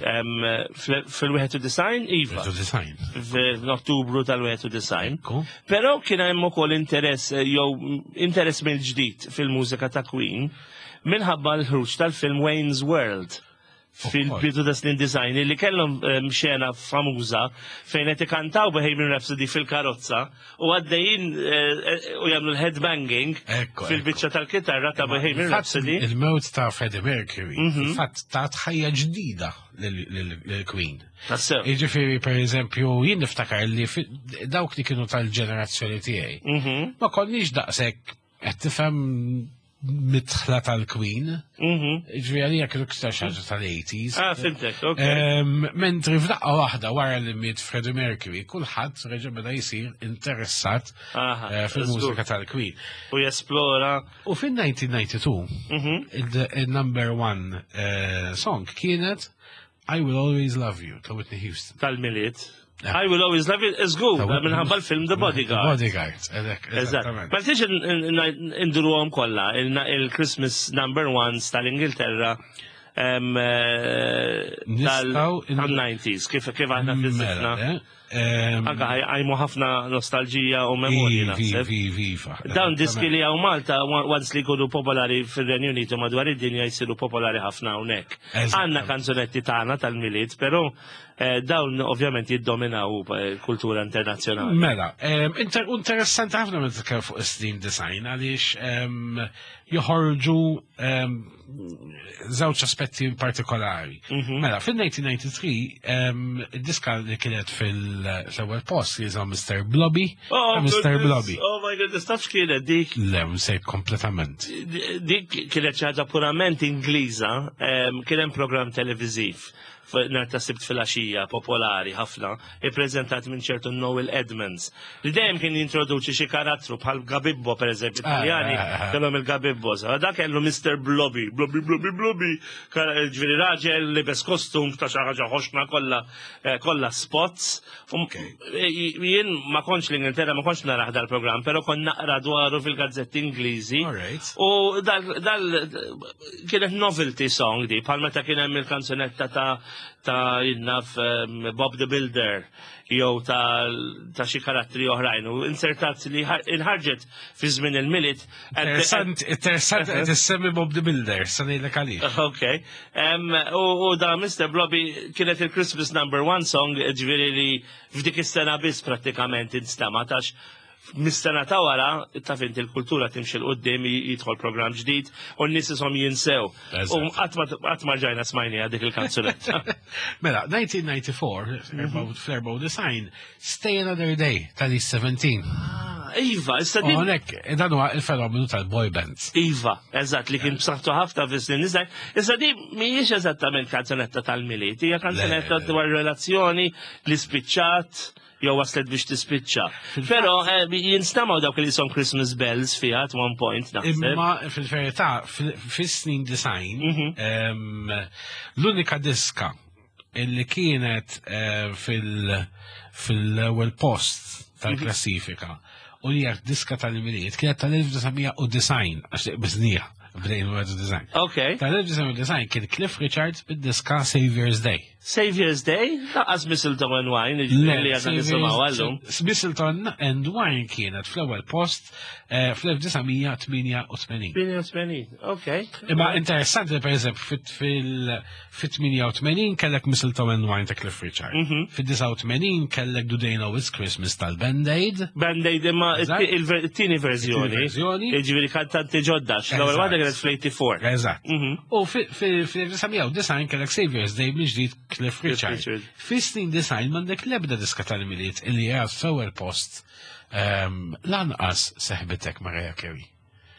Fil-91 iva. Design. F'Ottubru tal-91. Però kien hemm ukoll interess jew interess mill-ġdid fil-mużika ta' Queen minħabba l-ħruġ tal-film Wayne's World fil-bidu ta' snin 90 li kellhom xena famuża fejn qed ikantaw Bohemian Rhapsody fil-karozza u għaddejjin u jagħmlu l-headbanging fil-biċċa tal-kitarra ta' Bohemian Rhapsody. Il-mewt ta' Freddie Mercury, fil-fatt ta' ħajja ġdida lill-Queen. Tassew. Jiġifieri, per eżempju, jien niftakar li dawk li kienu tal-ġenerazzjoni tiegħi. Ma konniex daqshekk qed tifhem midħla tal-Queen. Ġifieri għalija kienu iktar xi ħaġa tal-80s. Ah, fhimtek, ok. Mentri f'daqqa waħda wara li miet Freddie Mercury, kulħadd reġa' beda jsir interessat fil-mużika tal-Queen. U jesplora. U fin-1992, il-number one song kienet I Will Always Love You ta' Whitney Houston. Tal-Milied. I Will Always Love You, żgur, minħabba l-film The Bodyguard. Bodyguard, eżattament. Ma tiġ induruhom kollha, il-Christmas number ones tal-Ingilterra tal-90s, kif aħna fizzifna. Anka għajmu ħafna nostalġija u memorji naħseb. Viva. Dawn diski li hawn Malta, once li jkunu popolari fil-Renju Unitu madwar id-dinja jisiru popolari ħafna hawnhekk. Għandna kanzunetti tagħna tal-Milied, però dawn ovvjament jiddominaw kultura internazzjonali. Mela, interessanti ħafna meta titkellem fuq is-snin 90 għaliex joħorġu żewġ aspetti partikolari. Mela, fil-1993, id-diska li kienet fil-ewwel post li jisimha Mr. Blobby. Oh, Mr. goodness. Blobby. Oh my goodness, taf x'kienet dik? Le, nsejt kompletament. Dik kienet xi ħaġa purament Ingliża, kien hemm programm televiżiv nhar ta' Sibt filgħaxija popolari ħafna, ippreżentat minn ċertu Noel Edmonds, li dejjem kien jintroduċi xi karattru bħal Gabibbo, per eżempju, Italjani, kellhom il-Gabibbo. Dak kellu Mr. Blobby, Blobby, Blobby, Blobby, ġifieri raġel libes kostum ta' xi ħaġa ħoxna kollha spots. Jien ma kontx l-Ingilterra, ma kontx naraħ dal-programm, però kon naqra dwaru fil-gazzetti Ingliżi. U dal kienet novelty song di, bħal meta kien hemm il-kanzunetta ta' jinnaf Bob the Builder jew ta' xi karattri oħrajn u insertat li inħarġet fi żmien il-Milied. Interessant, interessant qed issemmi Bob the Builder, sa ngħidlek għaliex. Ok. U da Mr. Blobby kienet il-Christmas number one song, ġifieri li f'dik is-sena biss prattikament instema' tax mis-sena ta' wara, taf inti l-kultura timxi 'l quddiem, jidħol programm ġdid u n-nies ishom jinsew. U qatt ma ġajna smajni dik il-kanzunetta. Mela, 1994, fl-94, Stay Another Day tal-E17. Ah, iva, issa din. Hawnhekk, dan huwa il-fenomenu tal-boy bands. Iva, eżatt, li kien b'saħħtu ħafna fis-snin 90. Issa di mhijiex eżattament kanzunetta tal-Milied, hija kanzunetta dwar relazzjoni li spiċċat jew waslet biex tispiċċa. Però jinstamaw dawk li son Christmas bells fiha at one point naħseb. Imma fil-verità, fis-snin 90, l-unika diska illi kienet fil-ewwel post tal-klassifika u li diska tal-Milied kienet tal-1990 għax biznija. Bdejn 91. Ok. Tal-1990 kien Cliff Richards bid-diska Savior's Day. Savior's Day? Lanqas Mistletoe and Wine, li għadna nisimgħu għallum. Mistletoe and Wine kienet fl-ewwel post eh, fl-1988. 88, ok. Imma interessanti per eżempju fil-88 kellek Mistletoe and Wine ta' Cliff Richard. Fil-89 kellek Do They Know It's Christmas tal-Band Aid. Band-Aid imma it-tieni verżjoni. Verżjoni. Ġifieri kantanti ġodda, l-ewwel waħda kienet fl-84. Eżatt. U fil-1990 kellek Savior's Day mill-ġdid Cliff Richard. Richard. Fis-snin design m'għandek l-ebda diska tal-Milied illi hija f'ewwel post lanqas seħbitek Mariah Carey.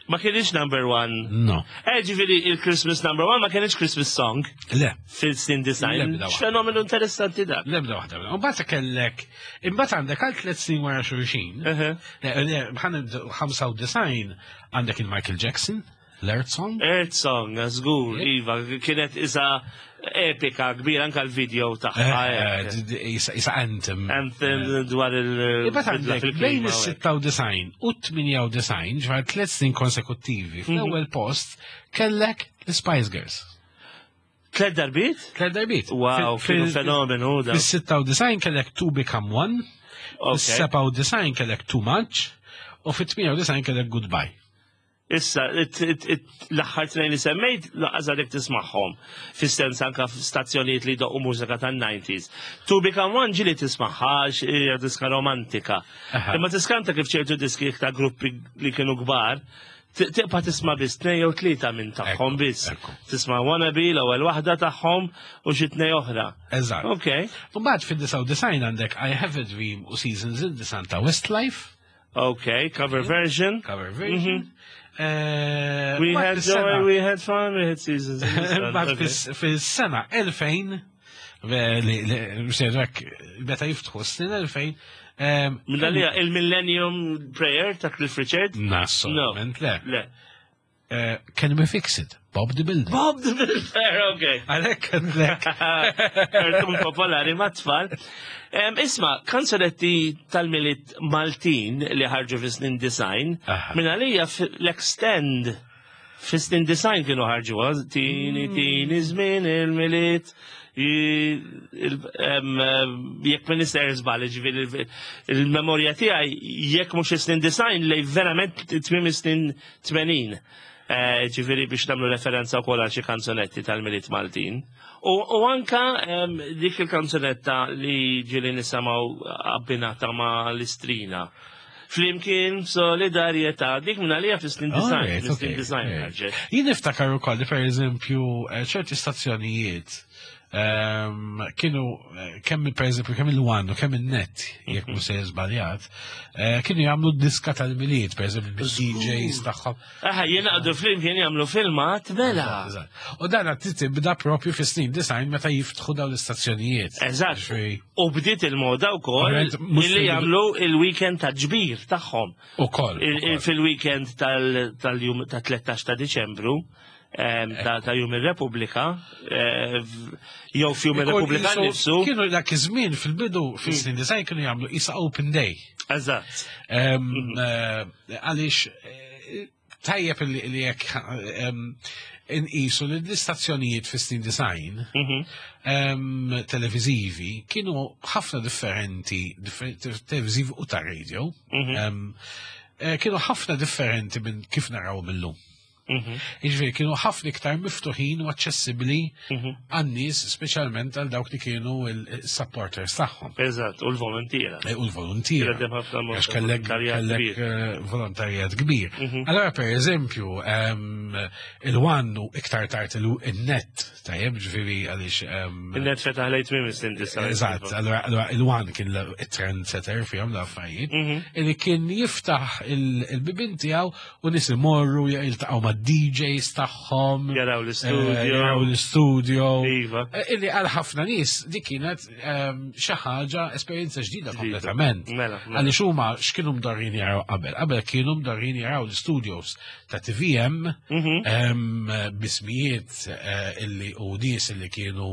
Ma kienx number one. No. Eh, ġifieri il-Christmas number one ma kienx Christmas song Le. fil-snin design. L-ebda waħda. X'fenomenu interessanti dak. L-ebda waħda. U mbagħad kellek, imbagħad għandek għal tliet snin wara xulxin. Eħe. Le, le, ħa nibdew 95 għandek il-Michael Jackson, l-Earth Song. Earth Song, żgur, iva, kienet isa epika kbira anka l-video tagħha. Eh, hekk. Isa anthem. Anthem dwar il- Imbagħad bidla għandek fil-klima, bejn u hekk. is-96 u 98 ġvar 3 snin konsekuttivi fl-ewwel post kellek l-Spice Girls. Tlet darbiet? Tliet darbiet. Wow, kienu fenomenu da. Fis-96 kellek Two Become One, Ok. fis-97 kellek Too Much, u fit-98 kellek Goodbye. Issa, l-aħħar tnejn li semmejt, lanqas għadek tismagħhom. Fis-sens anka f'stazzjonijiet li doqqu mużika tan-90s. To Become One ġieli tismagħha, hija diska romantika. Aha. Imma tiskanta kif ċertu diski ta' gruppi li kienu kbar, tibqa' tisma' biss tnejn jew tlieta minn tagħhom Ekku, biss. ekku. Tisma' Wannabe l-ewwel waħda tagħhom u xi tnejn oħra. Eżatt. Ok. U mbagħad fid-99 għandek I Have a Dream u Seasons in the Sun ta' Westlife, Ok, cover version. cover version. Eh, We mbagħad had fis-sena- joy, we had fun, we had seasons. in the sun. Mbagħad Okay. fis-sena 2000 li msejrek meta jiftħu s-snin 2000 Minn għalija, il-Millennium Prayer ta' Cliff Richard? Nassolutament le. Le. Can we fix it? Bob the Builder. Bob the Builder, ok. Għalhekk għandek. Kartun popolari ma' tfal. Isma, kanzunetti tal-Milied Maltin li ħarġu fi snin design, Aha. minn għalija l-extend fi snin design kienu ħarġu, tini, tini, żmien il-Milied, jekk minn nister żball, ġifieri il-memorja tiegħi jekk mhux is-snin design li verament tmiem is-snin 80. Ġifieri biex nagħmlu referenza wkoll għal xi kanzunetti tal-Milied Maltin. U anka dik il-kanzunetta li ġieli nisimgħu abbinata ma' l-Istrina. Flimkien solidarjetà, dik minn għalija fis-snin design, Alright, fis-snin okay, design okay. ħarġet. Jien niftakar ukoll li pereżempju ċerti stazzjonijiet kienu kemm pereżempju kemm il-One u kemm il-Net jekk mhux se żbaljat, kienu jagħmlu diska tal-Milied pereżempju bil-DJs tagħhom. Aha, jingħaqdu flimkien jagħmlu filmat, mela. Eżatt. U dan qed tibda propju fis-snin design meta jiftħu dawn l-istazzjonijiet. Eżatt. Ġifieri, U bdiet il-moda wkoll Ovvjament, mhux illi fil- jagħmlu il-weekend ta' ġbir tagħhom. Ukoll. ukoll. Fil-weekend tal-jum ta' 13 ta' Diċembru, ta' jum ir-Repubblika, jew f'jum Ikun ir-Repubblika nnifsu. Kienu dak iż-żmien fil-bidu fis-snin design kienu jagħmlu isa open day. Eżatt. Għaliex tajjeb li jekk inqisu li l-istazzjonijiet fis-snin design televizivi kienu ħafna differenti, televizivi u ta' radio, kienu ħafna differenti minn kif naraw illum. Jiġifieri kienu ħafna iktar miftuħin u aċċessibbli għan-nies, speċjalment għal dawk li kienu il-supporters tagħhom. Eżatt, u l-volontiera. U l-volontiera. Kienet hemm ħafna Għax kellek volontarjat kellek kbir. volontarjat kbir. Allora, per eżempju, il-One u iktar tard il-Net, tajjeb, ġifieri għaliex. Il-net fetaħ lejt minn snin design. Eżatt, allora il-One kien il-trendsetter fihom l-affarijiet, illi kien jiftaħ il-bibin tiegħu u nies imorru jiltaqgħu ma' DJs tagħhom. Jaraw l-istudio. Jaraw l-istudio. Iva. Illi għal ħafna nies dik kienet xi ħaġa esperjenza ġdida kompletament. Mela, mela. Għaliex huma x'kienu mdorrin jaraw qabel? Qabel kienu mdorrin jaraw l-studios ta' TVM bismijiet illi u nies illi kienu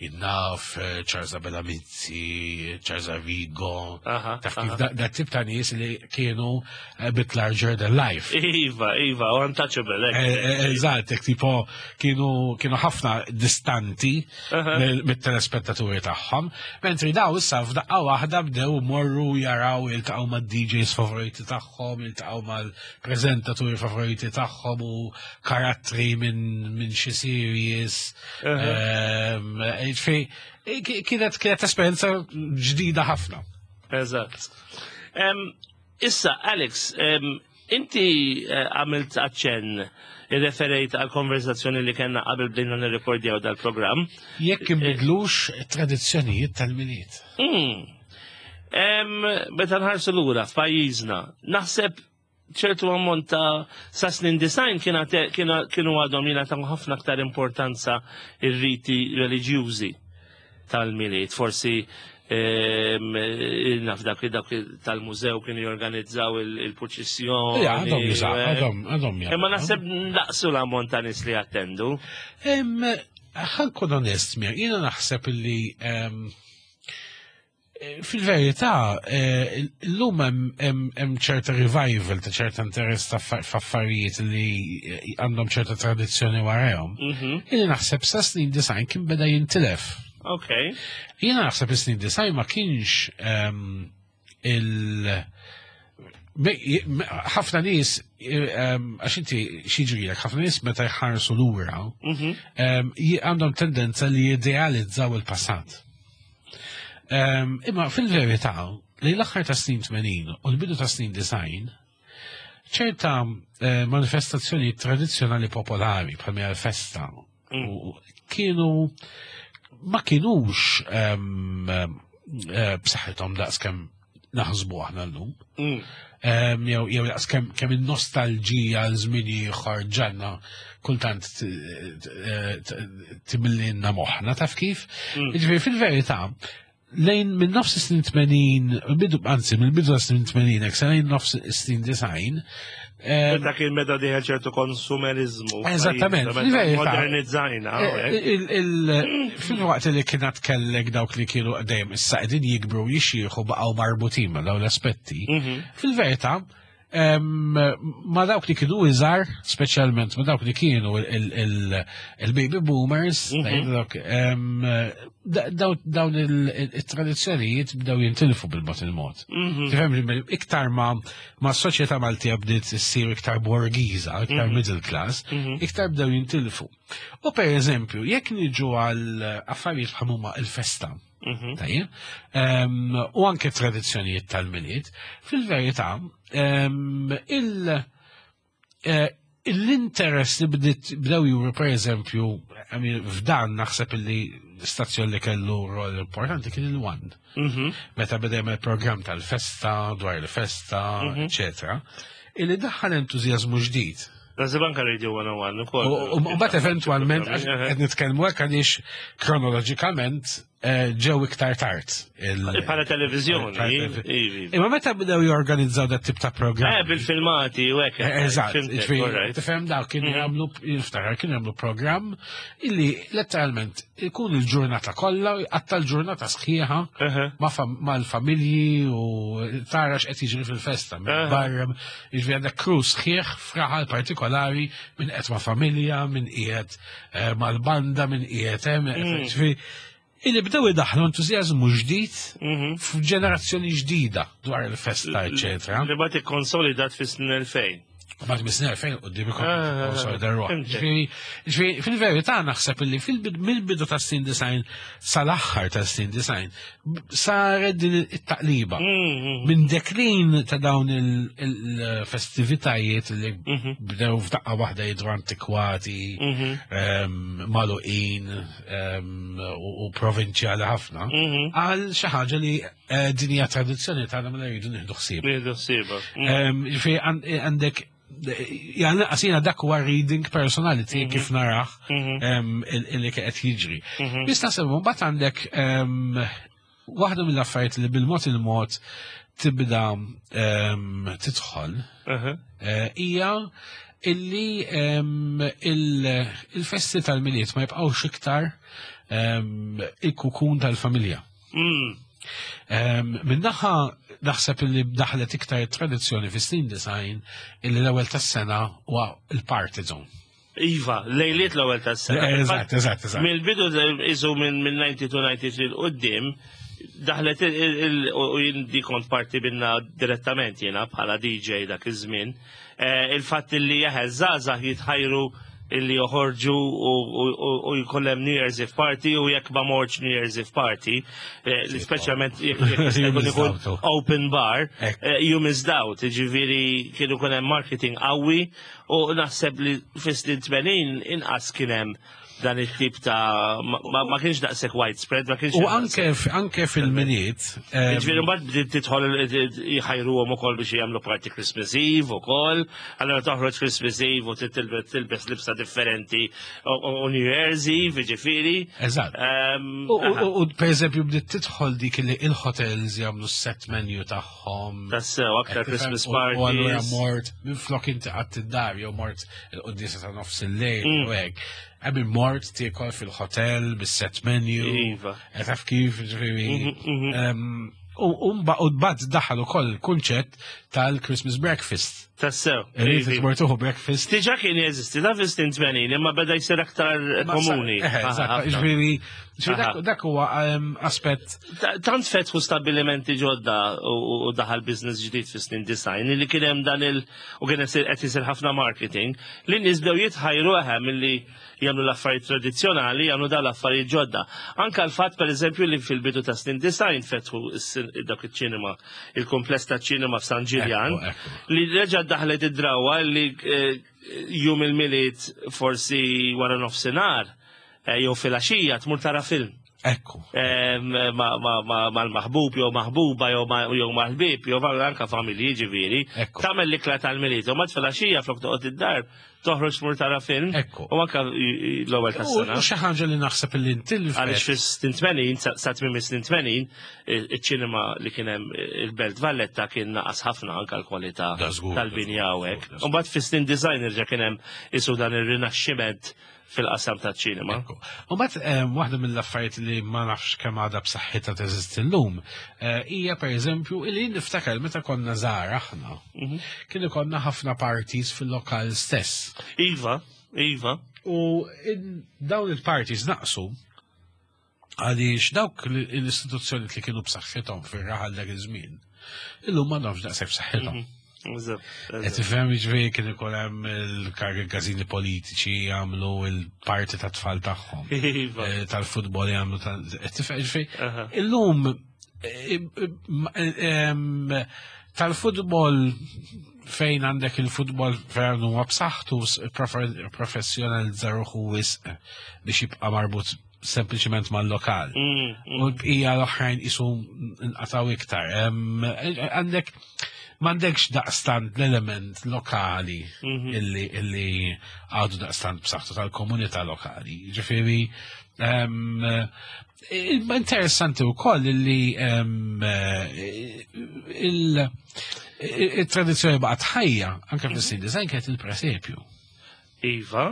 jinnaf Charles Abela Mizzi, Charles Arrigo, taf kif da tip ta' nies li kienu a bit larger than life. Iva, iva, u untouchables. qabel. Eżatt, tipo kienu ħafna distanti mit-telespettaturi tagħhom, mentri daw issa f'daqqa waħda bdew morru jaraw jiltaqgħu mad-DJs favoriti tagħhom, jiltaqgħu mal-preżentaturi favoriti tagħhom u karattri minn xi series. Kienet esperjenza ġdida ħafna. Eżatt. Issa, Alex, inti għamilt aċċenn, irreferejt għal konverzazzjoni li kellna qabel bdejna nirrekordjaw dal-programm. Jekk inbidlux tradizzjonijiet tal-Milied. Meta nħarsu lura f'pajjiżna, naħseb ċertu ammont ta' sa snin 90 kienu għadhom jingħataw ħafna aktar importanza ir-riti reliġjużi tal-Milied. Forsi naf dak tal-mużew kienu jorganizzaw il-purċissjoni. Għadhom jużaw, għadhom. Imma naħseb naqsu l-ammont ta' nies li attendu. Ħa nkun onest, mir, jiena naħseb li fil-verità l-lum hemm ċerta revival ta' ċerta interess ta' f'affarijiet li għandhom ċerta tradizzjoni warahom. Jiena naħseb sa snin 90 kien beda jintilef. Jiena naħseb is-snin 90 ma kienx il ħafna nies, għax inti x'jiġrilek, ħafna nies meta jħarsu lura għandhom tendenza li jidealizzaw il-passat. Imma fil-verità, li l-aħħar ta' snin 80 u l-bidu ta' snin 90, ċerta manifestazzjoni tradizzjonali popolari bħal mija l-festa u kienu ma kienux b'saħħithom daqs kemm naħsbu aħna llum. Jew daqs kemm in-nostalġija għal żmien ieħor ġanna kultant timillinna moħħna, taf kif? Jiġifieri fil-verità, lejn minn nofs is-snin 80, bidu, anzi, mill-bidu ta' snin 80, hekk sa lejn nofs is-snin 90. Meta kien meta diħel ċertu konsumerizmu. Eżattament, Meta fil-verità. modernizzajna, hawnhekk. Fil-waqt li kienet kellek dawk li kienu dejjem issa qegħdin jikbru jixjieħu baqgħu marbutin ma' dawn l-aspetti. Fil-verità, ma dawk li kienu iżgħar, speċjalment ma dawk li kienu il-baby boomers, dawn il-tradizzjonijiet bdew jintilfu bil-mod il-mod. Tifhem, iktar ma s-soċjetà Maltija bdiet issir iktar borgiża, iktar middle class, iktar bdew jintilfu. U per eżempju, jekk niġu għal affarijiet bħal huma il-festa, tajjeb, u anke tradizzjonijiet tal-Milied, fil-verità, l-interess li bdew juru, per eżempju, I mean, f'dan naħseb li stazzjon li kellu rol importanti kien il-One. Meta beda jagħmel programm tal-festa, dwar il-festa, eccetera, illi daħħal entużjażmu ġdid. Naħseb anka Radio 101 ukoll. U mbagħad eventwalment, għax qed nitkellmu hekk għaliex kronoloġikament ġew iktar tard. Bħala televiżjoni, Bħala ivi. Imma meta bdew jorganizzaw dat tip ta' programm. Bil-filmati u hekk. Eżatt, Fimtek, jiġifieri, all right. tifhem daw kienu jagħmlu, jiftakar, kienu jagħmlu programm illi letteralment ikun il-ġurnata kollha, jqatta' l-ġurnata sħiħa mal-familji u tara x'qed jiġri fil-festa, minn barra, jiġifieri għandek crew sħiħ f'raħal partikolari minn qed ma' familja, minn qiegħed mal-banda, minn qiegħed hemm, jiġifieri illi bdew idaħlu entużjażmu ġdid f'ġenerazzjoni ġdida dwar il-festa, eccetera. Li bagħad ikkonsolidat fis-snin 2000. Mbagħad mis-snin 2000 quddiem ikun konsolida ruħ. Fimtek. Ġifieri, fil-verità naħseb illi mill-bidu ta' snin 90 sal-aħħar ta' snin 90 saret din it-taqliba. Minn deklin ta' dawn il-festivitajiet li bdew f'daqqa waħda jidru antikwati, magħluqin, u provinċjali ħafna, għal xi ħaġa li din hija tradizzjoni tagħna mela jridu nieħdu ħsieb. Nieħdu ħsiebha. Ġifieri għandek jgħal għasina dak huwa reading personali tiegħi kif naraħ illi qed jiġri. Biss naħseb mbagħad għandek waħda mill-affarijiet li bil-mod il-mod tibda tidħol hija illi il-festi tal-Milied ma jibqgħux iktar il-kukun tal-familja. Min-naħa naħseb li daħlet iktar tradizzjoni fi snin 90 illi l-ewwel tas-sena huwa il-party zone. Iva, lejliet l-ewwel tas-sena. Eżatt, eżatt, eżatt. Mill-bidu isu minn 92-93 'l quddiem daħlet u jien di kont parti minna direttament jiena bħala DJ dak iż-żmien. Il-fatt li jaħe żgħażagħ jitħajru illi joħorġu u jkollem New Year's Eve party u jekk ma mortx New Year's Eve party, li speċjalment jekk jkun ikun open bar, you missed out, ġifieri kienu kun hemm marketing qawwi u naħseb li fis-snin 80 inqas kien hemm dan it-tip ta' ma kienx daqshekk widespread, ma kienx. U anke fil-Milied. Ġifieri mbagħad bdiet tidħol jħajruhom ukoll biex jagħmlu party Christmas Eve ukoll, allura toħroġ Christmas Eve u tilbes libsa differenti u New Year's Eve, ġifieri. Eżatt. U per eżempju bdiet tidħol dik li il-hotels jagħmlu set menu tagħhom. Tassew, aktar Christmas parties. U allura mort minflok inti qatt id-dar jew mort il-quddiesa ta' nofs il-lejl u hekk. Għabi mort tiekol fil-hotel, bis-set menu. Iva. Taf kif, ġifieri. U mbagħad daħal ukoll il-kunċett tal-Christmas breakfast. Tassew. Irrid tmur tieħu breakfast. Diġà kien jeżisti, da fis-snin 80, imma beda jsir aktar komuni. Eżatt, ġifieri, dak huwa aspett. Tant fetħu stabilimenti ġodda u daħal business ġdid fis-snin 90 li kien hemm dan il- u kien qed isir ħafna marketing li nies bdew jitħajru eħe milli jagħmlu l-affarijiet tradizzjonali, jagħmlu dawn l-affarijiet ġodda. Anka l-fatt pereżempju li fil-bidu ta' snin 90 fetħu dak iċ-ċinema, il-kumpless ta' ċinema f'San Ġiljan, li reġa' daħlet id-drawa li jum il-Milied forsi wara nofsinhar jew filgħaxija tmur tara film. Ekku. Mal-maħbub jew maħbuba jew mal-ħbieb jew anka familji ġifieri. Tagħmel l-ikla tal-Milied u mbagħad filgħaxija flok toqgħod id-dar toħroġ tmur tara film. Ekku. U anka l-ewwel tas-sena. U xi ħaġa li naħseb li ntilfet. Għaliex fis-snin 80, sa tmiem is-snin 80, iċ-ċinema li kien hemm il-Belt Valletta kien naqas ħafna anka l-kwalità tal-binja u hekk. U mbagħad fis-snin 90 irġa' kien hemm isu dan ir-rinaxximent fil-qasam ta' ċinema. U mbagħad waħda mill-affarijiet li ma nafx kemm għadha b'saħħitha teżisti llum hija pereżempju li niftakar meta konna żgħar aħna. Kien ikollna ħafna parties fil-lokal stess. Iva, iva. U dawn il-parties naqsu għaliex dawk l-istituzzjoni li kienu b'saħħithom fir-raħal dak iż-żmien, illum ma nafx daqshekk b'saħħithom. Qed tifhem, jiġifieri kien ikun hemm il-każini politiċi jagħmlu il-parti ta' tfal tagħhom. Tal-futbol jagħmlu qed tifhem, jiġifieri illum tal-futbol fejn għandek il-futbol fejn huwa b'saħħtu professjonalizza ruħu wisq biex jibqa' marbut sempliċement mal-lokal. U l-bqija l-oħrajn isu nqataw iktar. Għandek m'għandekx daqstant l-element lokali illi għadu daqstant b'saħħtu tal-komunità lokali. Ġifieri, interessanti wkoll illi il-tradizzjoni baqgħet ħajja anke fis-snin 90 kienet il-presepju. Iva.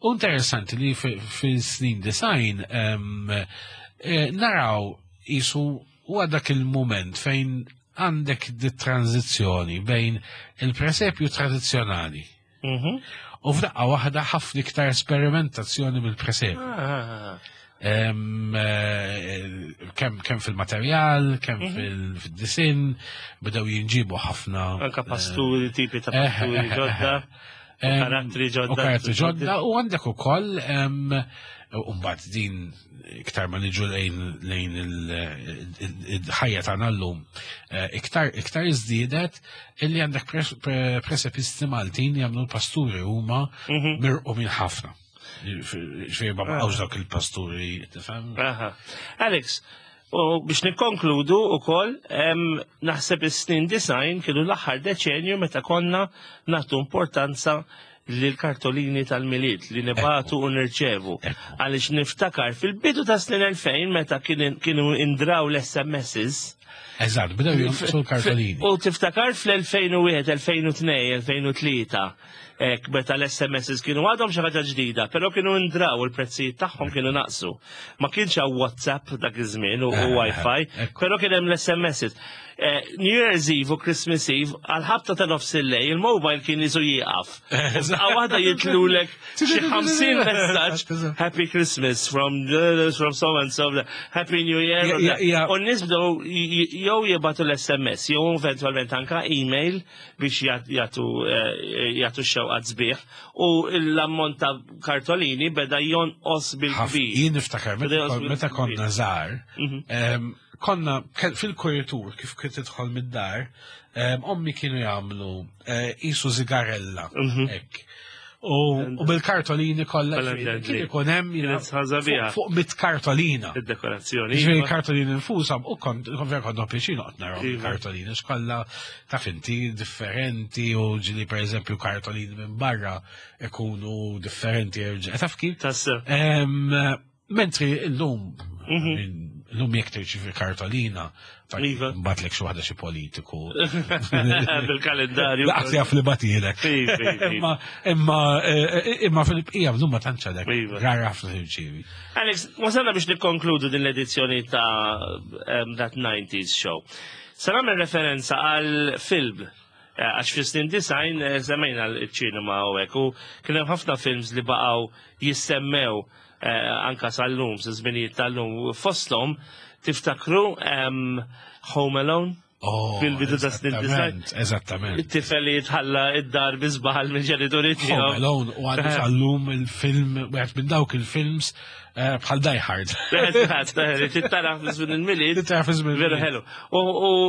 U interessanti li fis-snin 90 naraw isu huwa dak il-moment fejn għandek di tranzizzjoni bejn il-presepju tradizzjonali u f'daqqa waħda ħafna iktar esperimentazzjoni mill-presepju. Kemm fil-materjal, kemm fil-disin, bdew jinġibu ħafna. Anka pasturi, tipi ta' pasturi ġodda, karattri ġodda. U karattri ġodda, u għandek ukoll, u mbagħad din iktar ma niġu lejn il-ħajja tagħna llum, iktar iżdiedet illi għandek presepisti Maltin jagħmlu l-pasturi huma mirqu minn ħafna. Ġifieri ma baqgħux dawk il-pasturi, tifhem? Alex, u biex nikkonkludu wkoll, naħseb is-snin 90 kienu l-aħħar deċenju meta konna nagħtu importanza lil kartolini tal-Milied li nibatu u nirċevu. Għaliex niftakar fil-bidu ta' snin 2000 meta kienu indraw l-S M Ss, Eżatt, bdew jonqsu l-kartolini. U tiftakar fl-2001, 2002, 2003, ek meta l-SMSs kienu għadhom xi ħaġa ġdida, però kienu ndraw il-prezzijiet tagħhom kienu naqsu. Ma kienx hawn WhatsApp dak iż-żmien u Wi-Fi, però kien hemm l-SMSs. New Year's Eve u Christmas Eve, għal-ħabta ta' nofs il-lejl, il-mobile kien isu jieqaf. Għaw waħda jitlulek xi 50 messaġġ Happy Christmas from so and so, Happy New Year. U n-nies bdew jew jibgħatu l-SMS, jew eventualment anka email biex jagħtu x-xewqat sbieħ u l-ammont ta' kartolini beda jonqos bil-kbir. Jien niftakar meta konna żgħar, konna fil-kuritur kif kien tidħol mid-dar, ommi kienu jagħmlu qisu zigarella hekk. U bil-kartolini kollha kien ikun hemm fuq mit kartolina. Id-dekorazzjoni. Ġifieri kartolini nfushom u kont vera kont pjaċir noqgħod naraw iva. kartolini x'kollha taf inti differenti u ġieli pereżempju kartolini minn barra ikunu differenti erġa'. Taf kif? Mentri illum illum jekk tirċivi kartolina, Iva. Batlek xi waħda xi politiku. Bil-kalendarju. Laqas jaf li batilek. Iva, iva, imma imma imma fil-bqija bżum ma tantx għadek. Rar ħafna tirċivi. Alex, wasalna biex nikkonkludu din l-edizzjoni ta' That 90s Show. Se nagħmel referenza għal film għax fi snin 90 semmejna l-ċinema u hekk u kien hemm ħafna films li baqgħu jissemmew anka sal-lum, sa żminijiet tal-lum. Fosthom tiftakru Home Alone? Oh, Fil-bidu ta' snin 90. Eżattament. It-tifel li jitħalla id-dar bi żball minn ġenituri Home tiegħu. Alone u għadu sal-lum il-film, wieħed minn dawk il-films bħal Die Hard. Eżatt, tittara fi żmien il-Milied. Tittara fi żmien Veru il-Milied. ħelu. U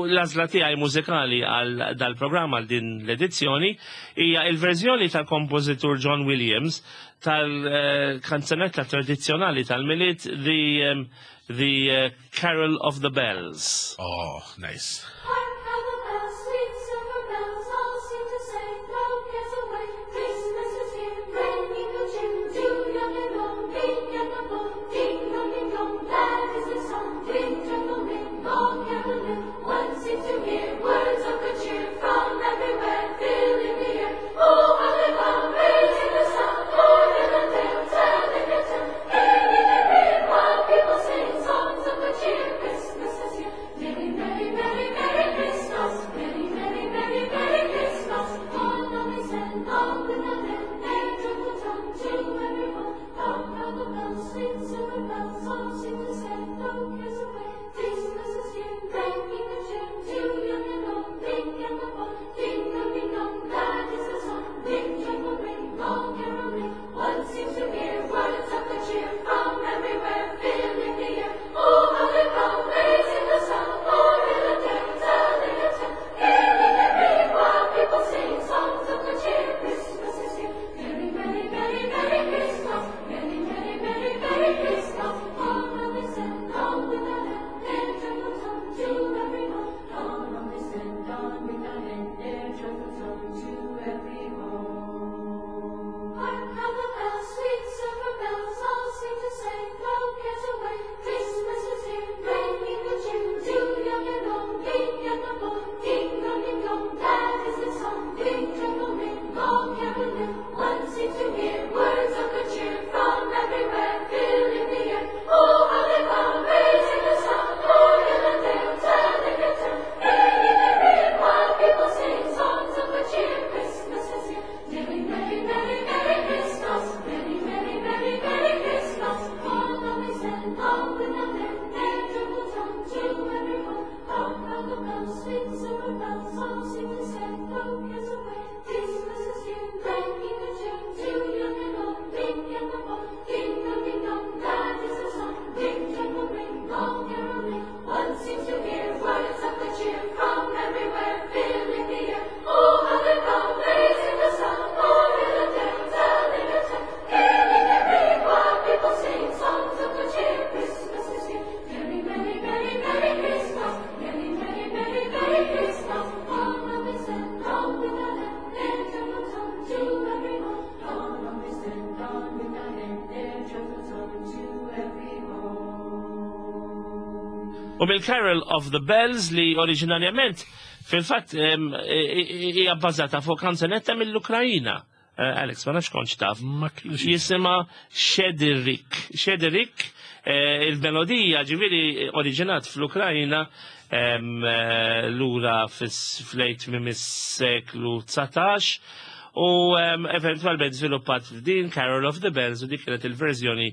l-għażla tiegħi mużikali għal dal-programm għal din l-edizzjoni hija il-verżjoni tal-kompożitur John Williams tal-kanzunetta tradizzjonali tal-Milied The Carol of the Bells. Oh, nice. Hark how the bells, sweet silver bells, all seem to say, blow cares away. Christmas is here, bringing good cheer to young and old, big and the bold. Ding dong, ding dong, that is the song. Ring, jangle, ring, all caroling. One seems to hear words of good cheer from everywhere, filling the air. Oh, how they come, raising the sound, o'er hill and dale, telling their tale, ringing their ear, while people sing songs of good cheer. Christmas is here. Merry, merry, merry, merry. U mill-Carol of the Bells li oriġinarjament fil-fatt hija bbażata fuq kanzunetta mill-Ukrajina. Eh, Alex, ma nafx kontx taf. Ma kienx. Jisimha Shederik. Shederik, eh, il-melodija ġifieri oriġinat fl-Ukrajina eh, lura fl-lejt minn is-seklu 19 u eventualment żviluppat f'din Carol of the Bells u dik kienet il-verżjoni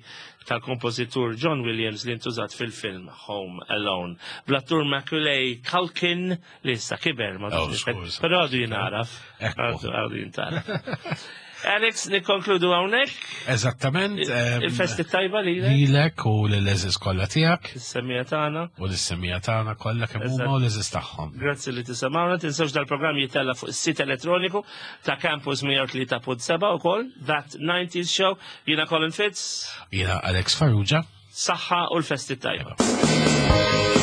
tal-kompożitur John Williams li ntużat fil-film Home Alone. Bl-attur Macaulay Culkin li issa kiber ma Oh, nafx skuż. però għadu jinaraf. Ekku. Għadu għadu jintaraf. Alex, nikkonkludu hawnhekk. Eżattament. Il-festi tajba li lek, Lilek u l-eżis kollha tiegħek is-semija tagħna. u l-semija tagħna kollha kemm huma u l-eżis tagħhom. Grazzi li tisimgħuna, tinsewx dal-programm jitella fuq is-sit elettroniku ta' Campus 103.7 ukoll, That 90s Show. Jiena Colin Fitz, Jiena Alex Farrugia. saħħa u l-festi tajba.